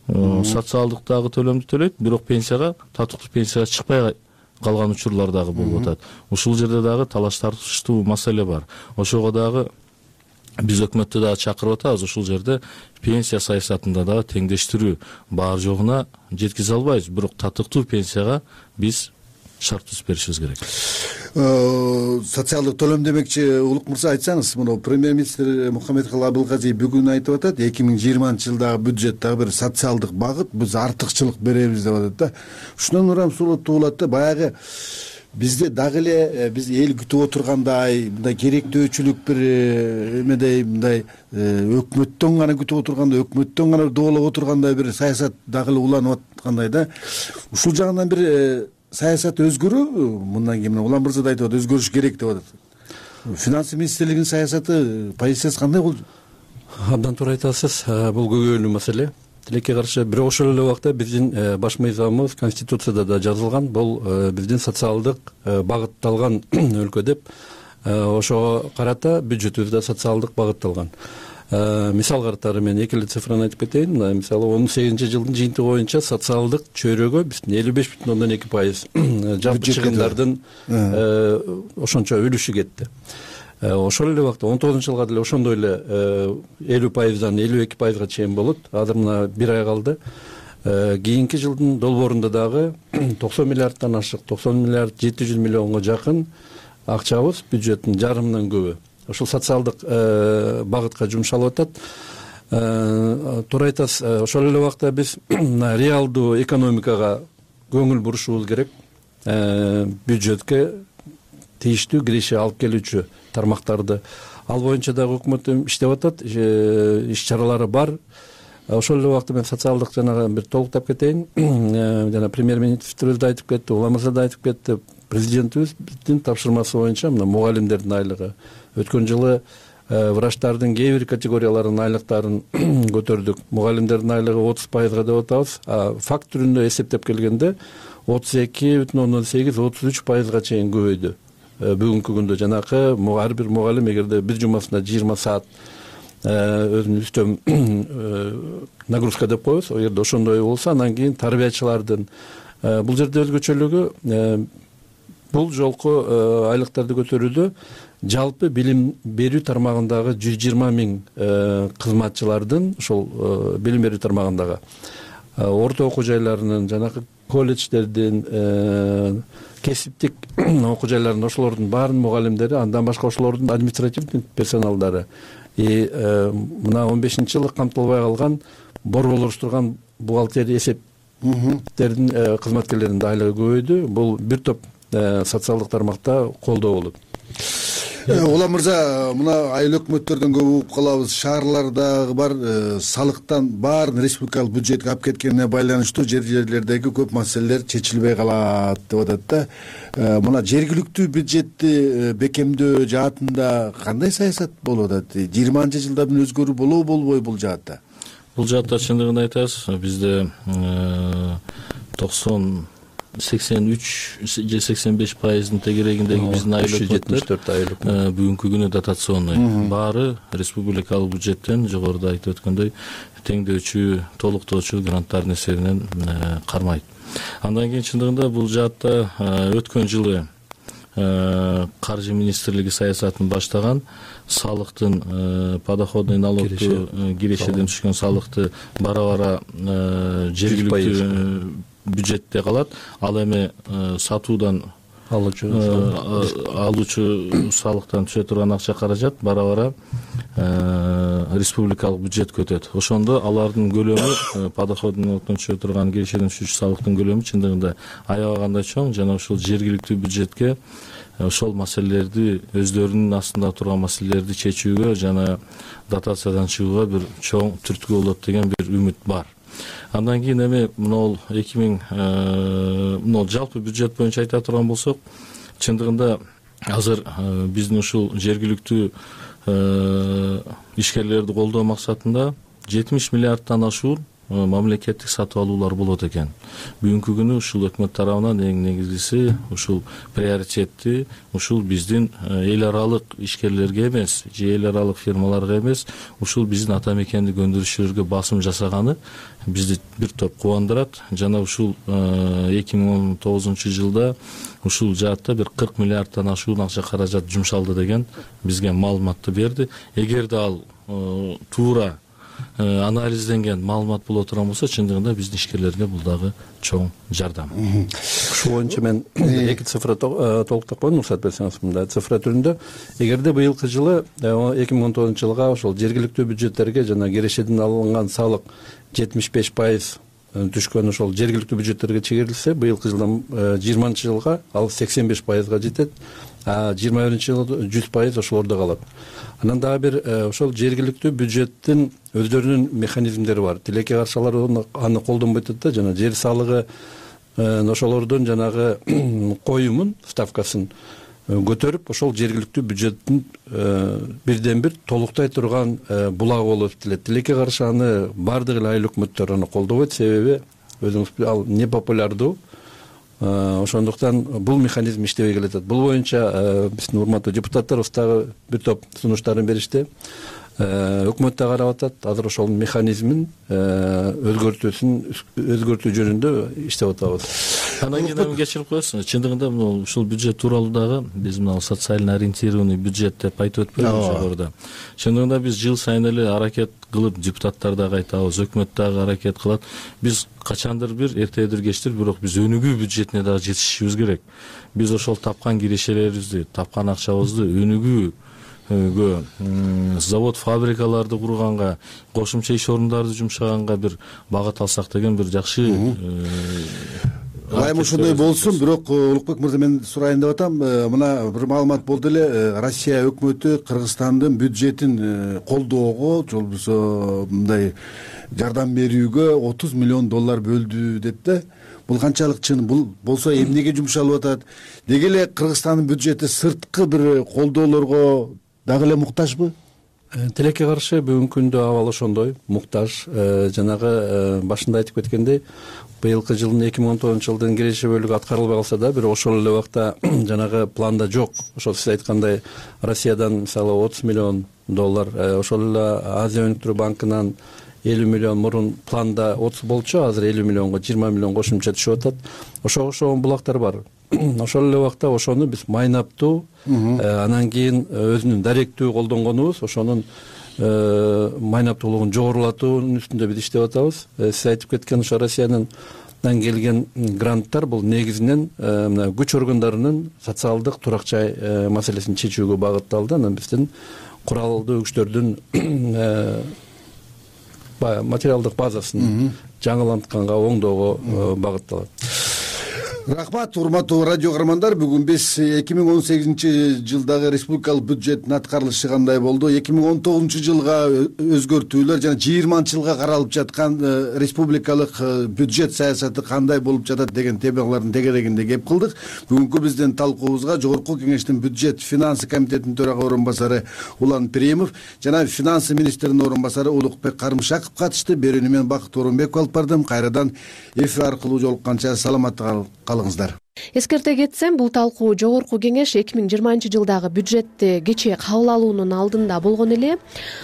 Speaker 12: социалдык дагы төлөмдү төлөйт, бирок пенсияга, татыктуу пенсияга чыкпай калган учурлар дагы болуп атат. Ушул жерде дагы талаш тартыштуу маселе бар. Ошого дагы биз өкмөттү дагы чакырып атабыз. Ушул жерде пенсия саясатында дагы теңдештирүү бар жогуна жеткизе албайбыз, бирок татыктуу пенсияга биз шарт түзүп беришибиз керек.
Speaker 11: Социалдык төлөм демекчи, Улук мырза, айтсаңыз, муну премьер-министр Мухаммедкалый Абылгазиев бүгүн айтып атат, 2020-жылдагы бюджеттагы бир социалдык багыт биз артыкчылык беребиз деп атат да. Ушундан урам туулат да, баягы бизде дагы эле биз эл күтүп отургандай, мындай керектөөчүлүк бир эмедей, мындай өкмөттөн гана күтүп отургандай, өкмөттөн гана доолоп отургандай бир саясат дагы эле уланып аткандай да. Ушул жагынан бир саясат өзгөрүү, мындан кийин Улам мырза да айтып атат, өзгөрүш керек деп атат. Финансы министрлигинин саясаты, позициясы кандай болду?
Speaker 13: Абдан туура айтасыз, бул көйгөйлүү маселе. Тилекке каршы, бирок ошол эле убакта биздин баш мыйзамыбыз, Конституцияда да жазылган, бул биздин социалдык багытталган өлкө деп. Ошого карата бюджетибиз да социалдык багытталган. Мисал катары мен эки эле цифраны айтып кетейин. Мисалы 18-жылдын жыйынтыгы боюнча социалдык чөйрөгө биздин 55,2% жалпы чыгымдардын ошончо үлүшү кетти. Ошол эле убакта 19-жылга деле ошондой эле 50%дан 52%га чейин болот. Азыр мына бир ай калды. Кийинки жылдын долбоорунда дагы 90 миллиардтан ашык, 90 миллиард 700 миллионго жакын акчабыз бюджеттин жарымынан көбү ошол социалдык багытка жумшалып атат. Туура айтасыз, ошол эле убакта биз реалдуу экономикага көңүл бурушубуз керек. Бюджетке тийиштүү киреше алып келүүчү тармактарды ал боюнча дагы өкмөт иштеп атат, иш чаралары бар. Ошол эле убакта мен социалдык жанагы бир толуктап кетейин. Жана премьер-министрибиз да айтып кетти, Улам мырза да айтып кетти. Президентибиздин тапшырмасы боюнча мына мугалимдердин айлыгы. Өткөн жылы врачтардын кээ бир категорияларынын айлыктарын көтөрдүк. Мугалимдердин айлыгы 30%га деп атабыз. Факт түрүндө эсептеп келгенде 32,8-33%га чейин көбөйдү. Бүгүнкү күндө жанакы ар бир мугалим эгерде бир жумасына 20 саат өзүнүн үстөм нагрузка деп коебуз. Эгерде ошондой болсо, анан кийин тарбиячылардын бул жерде өзгөчөлүгү бул жолку айлыктарды көтөрүүдө жалпы билим берүү тармагындагы 120 миң кызматчылардын ошол билим берүү тармагындагы орто окуу жайларынын, жанагы колледждердин, кесиптик окуу жайларынын ошолордун баарын мугалимдери, андан башка ошолордун административдик персоналдары мына 15-жылы камтылбай калган борборлоштурган бухгалтерия эсептердин кызматкерлеринин айлыгы көбөйдү. Бул бир топ социалдык тармакта колдоо болот.
Speaker 11: Улам мырза, мына айыл өкмөттөрдөн көп угуп калабыз, шаарлардагы бар салыктан баарын республикалык бюджетке алып кеткенине байланыштуу жерлердеги көп маселелер чечилбей калат деп атат да. Мына жергиликтүү бюджетти бекемдөө жаатында кандай саясат болуп атат? 20-жылда бир өзгөрүү болобу болбойбу бул жаатта?
Speaker 12: Бул жаатта чындыгын айтасыз, бизде 83 же 85%-ын тегерегиндеги биздин айыл өкмөттөр бүгүнкү күнү дотационный, баары республикалык бюджеттен жогоруда айтып өткөндөй теңдөөчү, толуктоочу гранттардын эсебинен кармайт. Андан кийин чындыгында бул жаатта өткөн жылы каржы министрлиги саясатын баштаган, салыктын подоходный налогту кирешеден түшкөн салыкты бара-бара жергиликтүү бюджетте калат. Ал эми сатуудан алуучу салыктан түшө турган акча каражат бара-бара республикалык бюджетке өтөт. Ошондо алардын көлөмү, подоходный налогтон түшө турган кирешеден түшүүчү салыктын көлөмү чындыгында аябагандай чоң. Жана ушул жергиликтүү бюджетке ошол маселелерди, өздөрүнүн астында турган маселелерди чечүүгө жана дотациядан чыгууга бир чоң түрткү болот деген бир үмүт бар. Андан кийин эми мынол жалпы бюджет боюнча айта турган болсок, чындыгында азыр биздин ушул жергиликтүү ишкерлерди колдоо максатында 70 миллиардтан ашуун мамлекеттик сатып алуулар болот экен. Бүгүнкү күнү ушул өкмөт тарабынан эң негизгиси ушул приоритетти ушул биздин эл аралык ишкерлерге эмес, же эл аралык фирмаларга эмес, ушул биздин ата мекендик өндүрүшчүлөргө басым жасаганы бизди бир топ кубандырат. Жана ушул 2019 жылда ушул жаатта бир 40 миллиардтан ашуун акча каражат жумшалды деген бизге маалыматты берди. Эгерде ал туура анализденген маалымат боло турган болсо, чындыгында биздин ишкерлерге бул дагы чоң жардам.
Speaker 13: Ушул боюнча мен эки цифра толуктап коеюн, уруксат берсеңиз. Мындай цифра түрүндө, эгерде быйылкы жылы 2019 жылга ошол жергиликтүү бюджеттерге жана кирешеден алынган салык 75% түшкөн ошол жергиликтүү бюджеттерге чегерилсе, быйылкы жылдан 20-жылга ал 85%га жетет. 21-жылы 100% ошолордо калат. Анан дагы бир ошол жергиликтүү бюджеттин өздөрүнүн механизмдери бар. Тилекке каршылар аны колдонбой атат да, жана жер салыгы ошолордун жанагы коюмун, ставкасын көтөрүп, ошол жергиликтүү бюджеттин бирден бир толуктай турган булагы болуп эсептелет. Тилекке каршы аны бардык эле айыл өкмөттөр аны колдобойт, себеби өзүңүз ал непопулярдуу. Ошондуктан бул механизм иштебей келатат. Бул боюнча биздин урматтуу депутаттарыбыз дагы бир топ сунуштарын беришти. Өкмөт да карап атат. Азыр ошол механизмин өзгөртүү жөнүндө иштеп атабыз.
Speaker 12: Андан кийин кечирип коесуз. Чындыгында ушул бюджет тууралуу дагы биз мына социально ориентированный бюджет деп айтып өтпөйбүз жогоруда. Чындыгында биз жыл сайын эле аракет кылып, депутаттар дагы айтабыз, өкмөт дагы аракет кылат. Биз качандыр бир эртедир кечтир, бирок биз өнүгүү бюджетине дагы жетишишибиз керек. Биз ошол тапкан кирешелерибизди, тапкан акчабызды өнүгүү завод фабрикаларды курганга, кошумча иш орундарды жумшаганга бир багыт алсак деген бир жакшы.
Speaker 11: Айым ошондой болсун, бирок Улукбек мырза, мен сурайын деп атам. Мына бир маалымат болду эле, Россия өкмөтү Кыргызстандын бюджетин колдоого, же болбосо мындай жардам берүүгө $30 миллион бөлдү деп да. Бул канчалык чын? Бул болсо эмнеге жумшалып атат? Деги эле Кыргызстандын бюджети сырткы бир колдоолорго дагы эле муктажбы?
Speaker 13: Тилекке каршы бүгүнкү күндө абал ошондой, муктаж. Жанагы башында айтып кеткендей, быйылкы жылдын 2019 жылдын киреше бөлүгү аткарылбай калса да, бирок ошол эле убакта жанагы планда жок. Ошол сиз айткандай Россиядан мисалы $30 миллион, ошол эле Азия өнүктүрүү банкынан $50 миллион мурун планда 30 болчу, азыр $50 миллионго 20 миллион кошумча түшүп атат. Ошого булактар бар. Ошол эле убакта ошону биз майнаптуу, анан кийин өзүнүн даректүү колдонгонубуз, ошонун майнаптуулугун жогорулатуунун үстүндө биз иштеп атабыз. Сиз айтып кеткен ошо Россиянын келген гранттар бул негизинен мына күч органдарынын социалдык турак жай маселесин чечүүгө багытталды. Анан биздин куралдуу күчтөрдүн материалдык базасын жаңылантканга, оңдоого багытталат.
Speaker 11: Рахмат, урматтуу радио каармандар. Бүгүн биз 2018-жылдагы республикалык бюджеттин аткарылышы кандай болду, 2019-жылга өзгөртүүлөр жана 20-жылга каралып жаткан республикалык бюджет саясаты кандай болуп жатат деген темалардын тегерегинде кеп кылдык. Бүгүнкү биздин талкуубузга Жогорку Кеңештин бюджет финансы комитетинин төрага орун басары Улан Перимов жана финансы министринин орун басары Улукбек Карымшаков катышты. Берүүнү мен Бакыт Орунбеков алып бардым. Кайрадан эфир аркылуу жолукканча саламатта калыңыздар.
Speaker 2: Эскерте кетсем, бул талкуу Жогорку Кеңеш 2020-жылдагы бюджетти кечээ кабыл алуунун алдында болгон эле.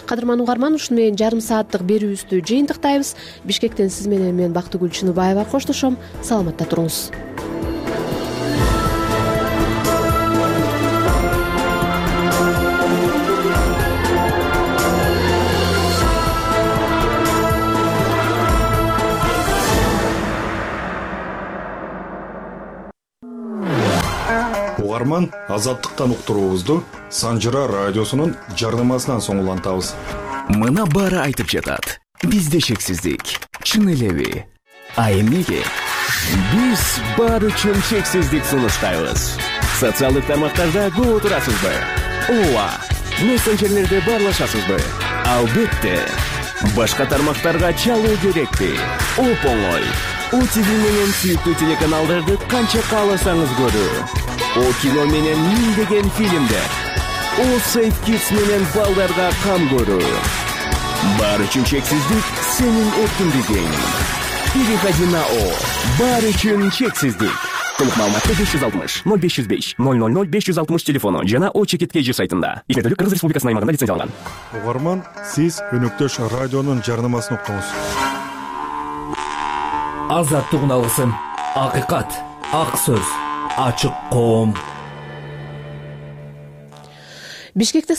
Speaker 2: Кадырман угарман, ушуну менен жарым сааттык берүүбүздү жыйынтыктайбыз. Бишкектен сиз менен мен Бактыгүл Чыныбаева коштошом. Саламатта туруңуз.
Speaker 14: Угарман, азаттыктан уктуруубузду Санжыра радиосунун жарнамасынан соң улантабыз.
Speaker 15: Мына баары айтып жатат. Бизде шексиздик. Чын элеби? А эмнеге? Биз бар үчүн шексиздик сунуштайбыз. Социалдык тармактарда көп отурасызбы? Ооба. Мессенджерлерде баарлашасызбы? Албетте. Башка тармактарга чалуу керекпи? Оп-оңой. ОТВ менен сүйүктүү телеканалдарды канча кааласаңыз көрүү. О кино менен миңдеген фильмдер. О Safe Kids менен балдарга кам көрүү. Бар үчүн чексиздик сенин эркиндигиң. Переходи на О. Бар үчүн чексиздик. Толук маалыматты 560 0505 000 560 телефону жана О Чекиткейжи сайтында. Ишмердүүлүк Кыргыз Республикасынын аймагында лицензияланган.
Speaker 14: Угарман, сиз өнөктөш радионун жарнамасын уктуңуз.
Speaker 16: Азаттык алгысым, акыйкат, ак сөз, ачык коом.
Speaker 2: Бишкекте